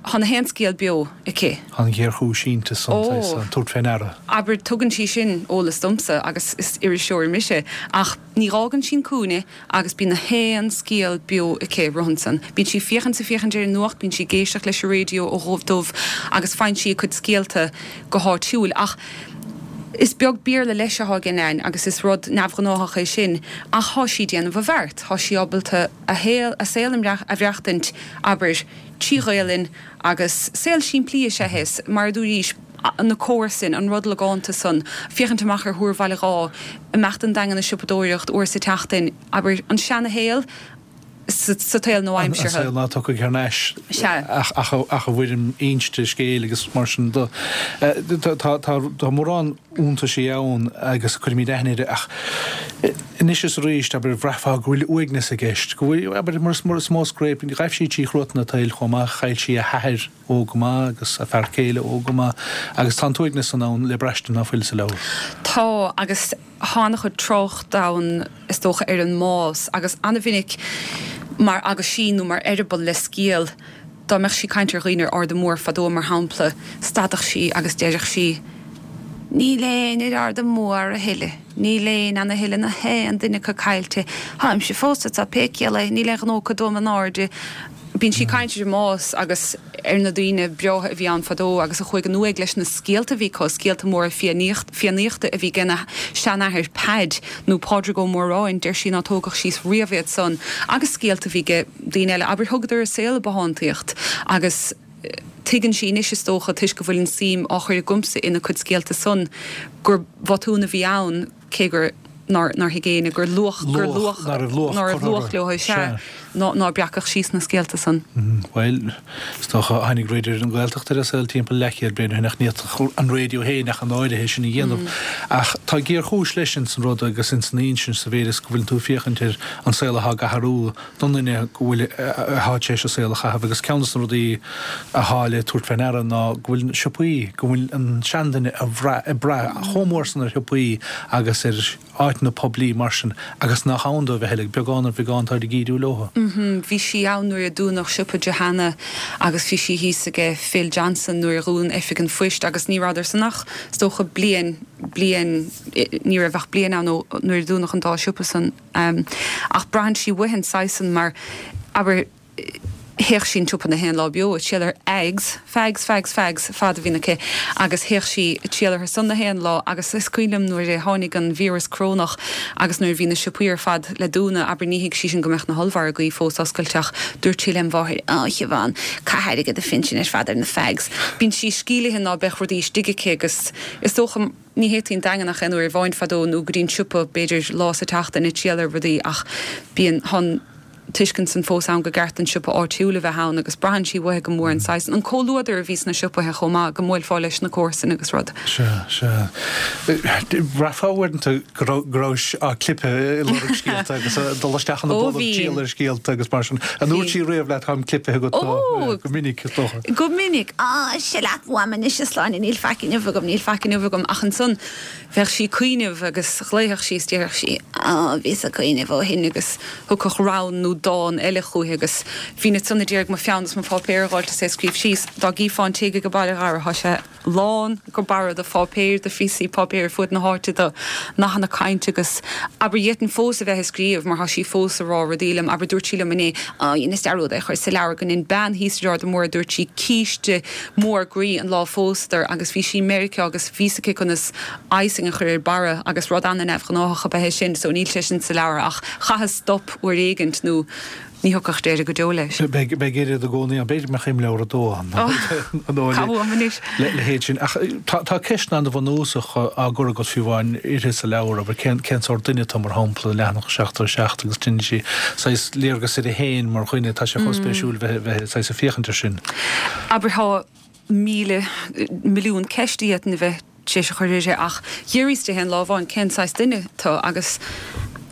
Thá na haon scéal beo aici. Tá an ghéarchúis inti san, saghas, an tabhairt fé ndeara. Abair, tugann sí sin eolas domsa agus is iriseoir mise, ach ní dh'fhágann sí an cúinne agus bíonn na haon scéal beo aici rothann san. Bíonn sí féachaint 's ag féachaint ar an nuacht, bíonn sí ag éisteacht leis an raidió ó dhubh dubh agus faigheann sí a cuid scéalta go háitiúil. Ach is beag Béarla leis athá ag Nain agus is rud neamhghnáthach é sin ach thá sí déanamh a bheart, thá sí ábalta a shaol, a saol a mhaireachtaint, abair, trí Ghaelainn agus saol simplí is ea é, mar a dúraís, na comharsain, an rud logánta san, féachaint amach ar Thúr Bhaile Dháith, imeacht 'on Daingean ag siopadóireacht uair sa tseachtain, abair, an seana-shaol sa tsaol An nua-aimseartha. saol ná tiocfaidh thar n-ais Sea. ach ach i bhfoirm inste scéil agus mar sin de. Tá mórán iontaisí ann agus cuirimid aithne air ach anois is arís, abair, bhraithfeá go bhfuil uaigneas i gceist, go bhfuil, abair, mar is mó scréip, ghaibh sí trí chruatan an tsaoil chomh maith, chaill sí a hathair óg go maith agus a fear céile óg go maith agus tá an t-uaigneas san ann le braistint ná fuil sa leabhar. Tá, agus thá an-chuid trácht ann, is dócha, ar an mbás agus an-mhinic mar aguisín nó mar eireaball le scéal, Dá mbeadh sí ag caint ar dhaoine ar Arda Mór fadó, mar shampla, stadfadh sí agus deireadh sí, Níl éinne ar Arda Mór a thuilleadh, níl éinne ann a thuilleadh, na haon duine acu caillte. Tháimse fós anso pé ciall é, níl aon ghnó acu dom in airde. Bíonn sí ag caint ar an mbás agus ar na daoine breátha a bhí ann fadó agus a chuaigh in uaigh leis na scéalta a bhí acu, scéalta móra Fiannaíochta a bhí ag a seanathair Peaid nó Pádraig Ó Móráin, deir sí ná tógadh síos riamh iad san, agus scéalta a bhí ag daoine eile, abair, thugadar a saol i bbothántaíocht agus tuigeann sí anois, is dócha, toisc go bhfuil an suim á chur agamsa ina cuid scéalta san, gur botún a bhí ann, cé gur nár nár thuig éinne gur luach gur luach ná raibh luach ná raibh luach leo sea ná ná breacadh síos na scéalta san. Bhuel, is dócha tháinig raidió ar an Ghaeltacht ar an saol timpeall leathchéad bliain ó shin ach ní fhéadfadh an raidió féin ach an áirithe sin a dhéanamh. Ach tá géarchúis leis ins an rud agus ins an insint sa mhéid is go bhfuileann tú ag féachaint ar an saol atá ag athrú don duine go bhfuil atá tar éis a saol a chaitheamh agus ceann de na rudaí atá le tabhairt fé ndeara ná go bhfuil siopaí, go bhfuil an seanduine ag brath chomh mór san ar shiopaí agus ar áiteanna poiblí mar sin agus nach ann dóibh a thuilleadh, beagán ar bheagán táid ag ídiú leo. Bhí sí ann nuair a dúnadh siopa Johanna agus bhí sí thíos aige Phil Johnson nuair a dhún Oifig an Phoist agus ní rabhadar san ach is dócha bliain, bliain, ní raibh ach bliain ann ó nuair a dúnadh an dá siopa san. Ach braitheann sí uaithi an saghas san mar, abair, Théadh sí an tsiopa na haon lá beo ag triall ar fhags, fags, fags, fags, fad a bhíonn aici agus théadh sí ag triall orthu san na haon lá agus is cuimhin liom nuair a tháinig an víreas corónach agus nuair a bhí na siopaí ar fad le dúnadh, abair ní thuig sí sin go mbeadh na hollmhargaí fós oscailte ach dúirt sí lem mháthair, Á, a Shiobhán, caith airgead do phinsin ar fad ar na fags. Bíonn sí scealaithe ná beadh rudaí istigh aici agus is dócha ní théití an Daingean ach aon uair amháin fadó nó go dtí an siopa b'fhéidir lá sa tseachtain ag triall ar rudaí ach bíonn, thá tuiscint san fós ann gur ceart an siopa áitiúil a bheith ann agus braitheann sí uaithi go mór an saghas, an comhluadar a bhí sna siopaithe chomh maith, go mbuailfeá leis na comharsain agus rud. Sea, sea. Bhraithfeá uaireanta go raibh, go rabhais á clipeadh ag lorg scéalta agus ag dul isteach ina Ó bolg bhí. triall ar scéalta agus mar sin. An ndúirt sí riamh leat táim clipithe agat Ó! go minic, is dócha? Go minic. Á, sea leat uaim anois a Shláine, níl faic inniu agam, níl faic inniu agam ach ansan bheadh sí ag cuimhneamh agus ghlaofadh sí is déarfadh sí, Á, bhíos ag cuimhneamh ó shin agus thiocfadh rann nó dán eile chúithi agus bhínn ansan a d'iarraidh mo pheann is mo pháipéar a dh'fháilt is é a scríobh síos. Dá gcífeá an tigh age baile a Dhara, thá sé lán go barra de pháipéir, de phíosaí páipéir ar fuaid na háite, de nathanna cainte agus abair d'fhéadfainn fós a bheith ag scríobh mar thá sí fós a rá rudaí liom, abair dúirt sí liom inné, Á, dheineas dearúd é a chur sa leabhar go ndein bean thíos ar Arda Mór, dúirt sí, císte mór groí an lá a phósadar agus bhí sí i Meiriceá agus bhí 's aici conas icing a chur ar barra agus rud ana-neamhghnáthach ab ea é sin so níl sé sin sa leabhar ach chaitheas stop uair éigint nó ní thiocfadh deireadh go deo leis. Beidh oiread i gcónaí ann, b'fhéidir go mbeadh imleabhar a dó ann Cá bhfuaim anois? le leithéid sin. Ach tá ceisteanna an-bhunúsach á gcur agat fiú amháin uirthi sa leabhar, abair, cén cén sórt duine tú mar shampla, leathanach seachtó a seacht agus tugann sí saghas léargas uirthi féin mar dhuine, tá sé chomh spéisiúil bheith bheith saghas ag féachaint air sin. Abair, tá míle, milliún ceist a d'fhéadfainn a bheith tar éis a chur uirthi ach d'fhiafraíos di aon lá amháin cén saghas duine tú agus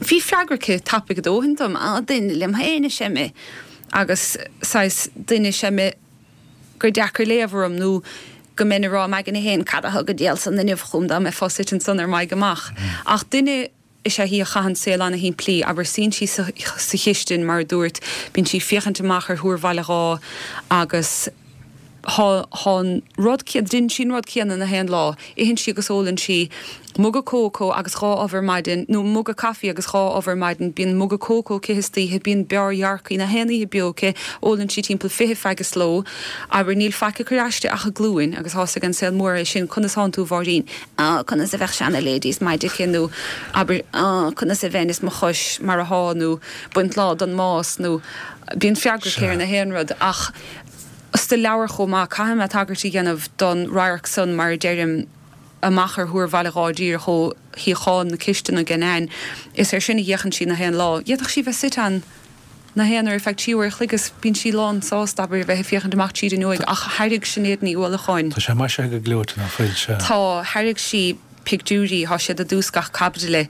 bhí freagra aici tapaidh a dóthain dom, á, duine liom féin is ea mé agus saghas duine is ea mé gur deacair léamh orm nó go mbeinn ag rá im aigne féin cad a thug an diabhal san inniu chugam dá mbeifeá suite ansan ar m'aghaidh amach. Ach duine is ea í a chaitheann saol ana-shimplí, abair, suíonn sí sa chistin, mar a dúirt, bíonn sí ag féachaint amach ar Thúr Bhaile Dháith agus thá thá an rud céanna, déanann sí an rud céanna na haon lá, itheann sí agus ólann sí muga cócó agus dhá ubh ar maidin, nó muga caife agus dhá ubh ar maidin, bíonn muga cócó aici istoíche, bíonn beár dhearcaí na haon oíche beo aici, ólann sí timpeall fiche feaig sa ló, abair, níl faic ag cur aisti ach a glúin agus thá's ag an saol mór é sin, conas thánn tú a Mháirín? Á, conas a bheadh seana-ladies maide aici nó abair, á, conas a bheinn is mo chois mar athá nó baint lá don mbás nó bíonn freagra aici ar na haon rud ach sa leabhar chomh maith caithfidh mé tagairt a dhéanamh don radharc san mar a deirim amach ar Thúr Bhaile Dháith díreach ó shuíochán na cistine age Nain. Is air sin a fhéachann sí na haon lá. D'fhéadfadh sí bheith suite ann na haon uair ar feadh trí uair a chloig is bíonn sí lán sásta, abair, a bheith ag féachaint amach tríd an fhuinneoig ach thairg Sinéad Ní Uallacháin. Tá sé maisithe go gleoite, ná fuil? Sea. Tá. Thairg sí pictiúirí, tá siad i dtús gach caibidle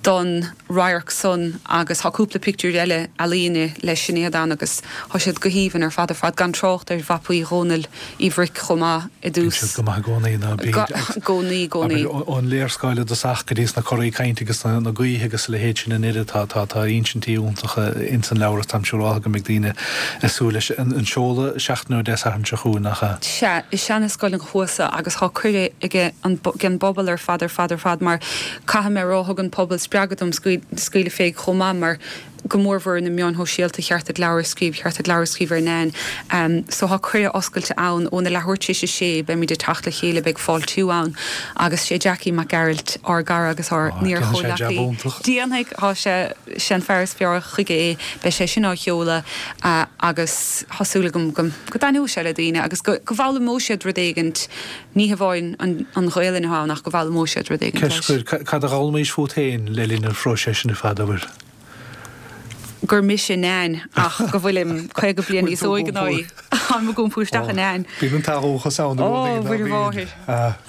don radharc san agus tá cúpla pictiúr eile ealaíne le Sinéad ann agus tá siad go haoibhinn ar fad ar fad, gan trácht ar mhapaí Dhónaill Uí Bhruic chomh maith i Bíonn dtús. siad go maith i gcónaí, ná bíd? I gcónaí, i gcónaí. Abair, ón léarscáil i dtosach go dtí sna coraí cainte agus na gaoithe agus a leithéid sin an oiread, tá, tá, tá insintí iontacha ins an leabhar agus táim siúráltha go mbeidh daoine ag súil leis. An seoladh seachtain ó Dé Sathairn seo chugainn, nach ea? Sea, i Seana-Scoil an Chuasa agus tá cuireadh age an, ag an bpobal ar fad ar fad ar fad mar caithfidh mé a rá thug an pobal spreagadh dom scaoileadh fé chomh maith mar go mórmhór na meáin shóisialta cheart duit leabhar a scríobh, cheart duit leabhar a scríobh ar Nan. So tá cuireadh oscailte ann óna leathuair tar éis a sé, beimid ag teacht le chéile, beidh fáiltiú ann agus sé Jackie Mac Gearailt ár gcara agus ár n-iar-chomhleacaí. Déanfaidh, tá sé, sé an fear is fearr chuige é, beidh sé sin á sheoladh agus tá súil agam go go dtaitneoidh sé le daoine agus go go bhfoghlaimeoidh siad rud éigint, ní hamháin an an Ghaelainn atá ann ach go bhfoghlaimeoidh siad rud éigint leis. Ceist, cad a d'fhoghlaimís fút féin le linn an phróisis sin ar fad, abair? gur mise Nan ach go bhfuilim caoga bliain níos óige ná í. Táim ag iompú isteach i Nan. Bíonn an t-athdhúchas ann i gcónaí, ná bíonn?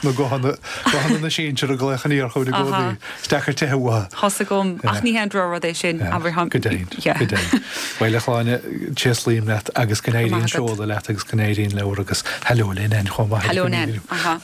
Na guthanna, guthanna na sinsear ag glaoch aniar chugainn i gcónaí. Is deacair teitheadh uathu. Tá 's agam, ach ní haon drochrud é sin, abair. Go deimhin, go deimhin. Bhuel, a Shláine, tréaslaím leat agus go n-éirí an seoladh leat agus go n-éirí an leabhar agus hello le Nan chomh maith. Hello Nan, aha.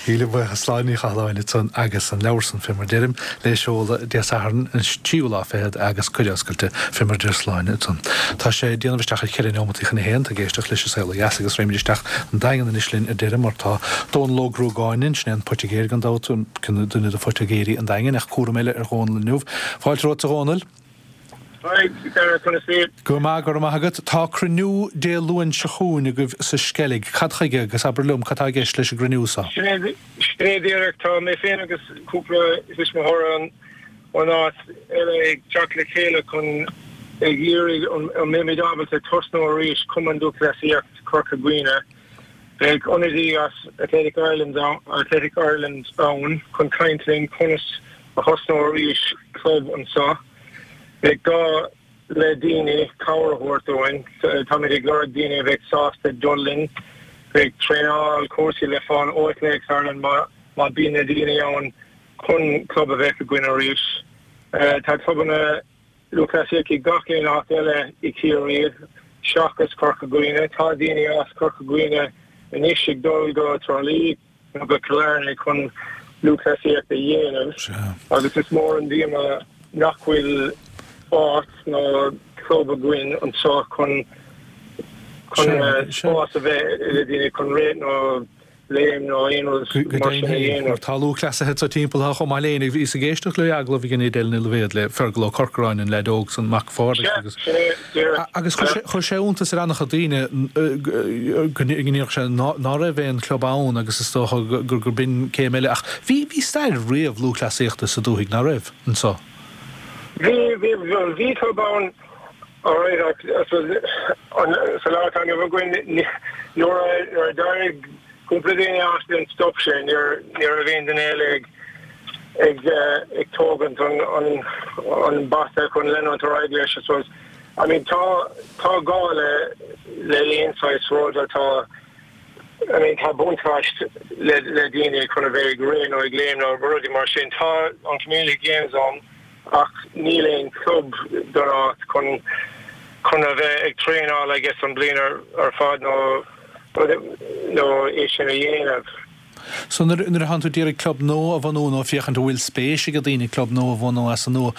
Míle buíochas, Sláine Ní Chathalláin ansan agus an leabhar san, fé mar deirim, le seoladh Dé Sathairn an tríú lá fichead agus cuireadh oscailte fé mar deir Sláine ansan. Tá sé ag déanamh isteach ar cheithre neomataí chun a haon, tá ag éisteacht leis an Saol Ó Dheas agus raghaimid isteach an Daingean anois linn ar deireadh mar tá Dónal Ó Gruagáin linn, sin é an poitigéir gan dabht, duine de phoitigéirí an Daingin, ach cúram eile ar Dhónal inniu. Fáilte romhat a Dhónaill. Hi, Dara, conas iad? Go maith, go raibh maith agat. Tá cruinniú Dé Luain seo chugainn agaibh sa Sceilg. Cad chuige agus abair liom cad tá i gceist leis an gcruinniú seo? Sin é, sin é díreach. Tá mé féin agus cúpla tuismitheoir ón áit eile ag teacht le chéile chun ag iarraidh an mbeimid ábalta tosnú arís Cumann Lúthchleasaíocht Chorca Dhuibhne. Beidh ionadaí as Athletic Ireland Athletic Ireland ann chun caint linn conas a thosnú arís club anseo. Beidh gá le daoine cabhair a thabhairt dúinn. Táimid ag lorg daoine a bheidh sásta dul linn. Beidh traenáil, cúrsaí le fáil ó Athletics Ireland má má bíonn na daoine ann chun club a bheith againn arís. Tá clubanna lúthchleasaíochta i gach aon áit eile i Ciarraí seachas Corca Dhuibhne. Tá daoine as Corca Dhuibhne anois ag dul go Trá Lí. nó go Cill Airne chun lúthchleasaíocht a dhéanamh agus is mór an díoma nach bhfuil áit nó club againn anseo chun chun spás a bheith le daoine chun rith nó léim nó aon rud Go mar sin a deimhin féin, dhéanamh. tá lúthchleasaithe anseo timpeall atá chomh maith linn. Bhíos ag éisteacht le agallamh a dhein Edel Ní Loibhéad le Fergal Ó Corcoráin, an leaid óg san, mac Phádraig Sea, agus sin é, díreach. Agus chuir sé, chuir sé iontas ar an-chuid daoine go ndéarfadh sé ná raibh aon club ann agus is dócha gur gur b'in céim eile ach bhí bhí stair riamh lúthchleasaíochta sa dúthaigh, ná raibh, anso? Bhí, bhí, bhuel bhí club ann alright ach I suppose an, sa lá atá inniu againn nuair a, nuair a d'éirigh cúpla duine as then stop sé, níor, ní raibh aon duine eile ag, ag, ag tógaint an, an, an bata chun leanúint ar aghaidh leis I suppose. I mean tá, tá gá le, le aon saghas rud atá, I mean tá buntáiste le, le daoine chun a bheith ag rith nó ag léim nó rudaí mar sin. Tá an Community Games ann ach níl aon club don áit chun, chun a bheith ag traenáil I guess an bliain ar, ar fad nó, nó é sin a dhéanamh. So nuair nuair a thánn tú ag iarraidh club nua a bhunú nó féachaint an bhfuil spéis ag daoine club nua a bhunú as an nua,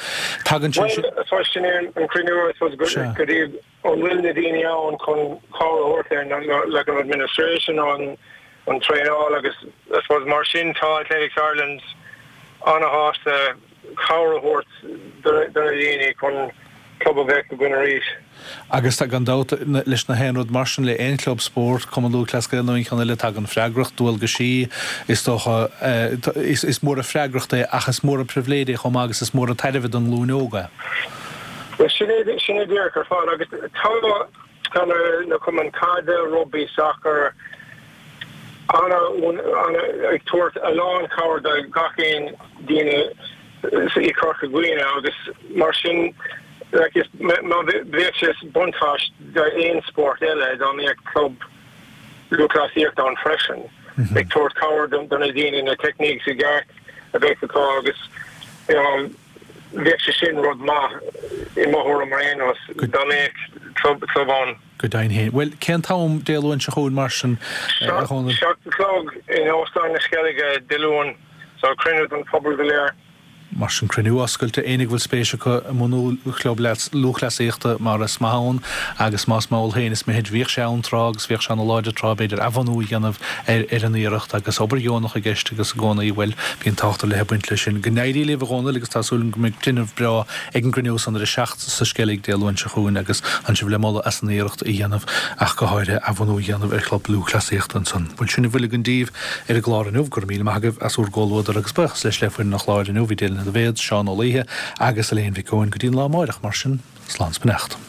tagann sé sin. Bhuel, so sin é an cruinniú I suppose go dtí an bhfuil na daoine ann chun cabhair a thabhairt linn like an administration nó an an traenáil agus I suppose mar sin tá Athletics Ireland ana-shásta cabhair a thabhairt do na daoine chun club a bheith againn arís. Agus tá, gan dabht, leis na haon rud mar sin, le aon chlub spóirt, Cumann Lúthchleas Gael nó aon cheann eile, tagann freagracht, dualgaisí, is dócha. Is mór an freagracht é ach is mór an pribhléid é chomh maith agus is mór an tairbhe don nglúin óg é. Bhuel, sin é, sin é díreach ar fad agus tá, tá na cumainn caide, rugbaí, sacar, ana, ana, ag tabhairt a lán cabhair do gach aon daoine i Corca Dhuibhne agus mar sin like is má bheadh sé buntáiste d'aon spórt eile dá mbeadh club lúthchleasaíochta ann freisin ag tabhairt cabhair do na daoine na techniques i gceart a bheith acu agus you know bheadh sé sin rud maith i mo thuairim ar aon nós dá mbeadh club club ann. Go deimhin féin. Bhuel, cén t-am Dé Luain seo chugainn mar sin, a Dhónaill? Seacht a chlog in Óstán na Sceilge, Dé Luain. So, cruinniú don phobal go léir. Mar sin cruinniú oscailte, éinne go bhfuil spéis acu i mbunú chlub lúthchleasaíochta mar is maith ann agus más mall féin is mithid, bhíodh sé ann tráth agus bhíodh sé ana láidir tráth, b'fhéidir athbhunú a dhéanamh ar an iarracht agus obair dheonach i gceist agus i gcónaí, bhuel, bíonn tábhacht ar leith ag baint leis sin. Go n-éirí libh a Dhónaill agus tá súil agam go mbeidh tinreamh breá ag an gcruinniú san ar a seacht sa Sceilg Dé Luain seo chugainn agus ansin le moladh as an iarracht a dhéanamh ach go háirithe athbhunú a dhéanamh ar chlub lúthchleasaíochta ansan. Bhuel sin a bhfuil againn daoibh ar an gclár inniu. Go raibh míle maith agaibh as bhur gcomhluadar agus buíochas leis le foireann an chláir inniu, bhí Dylan Daibhéad, Seán Ó Laoithe agus Elaine Mhic Eoin. Go dtí an lá amáireach mar sin, slán 's beannacht.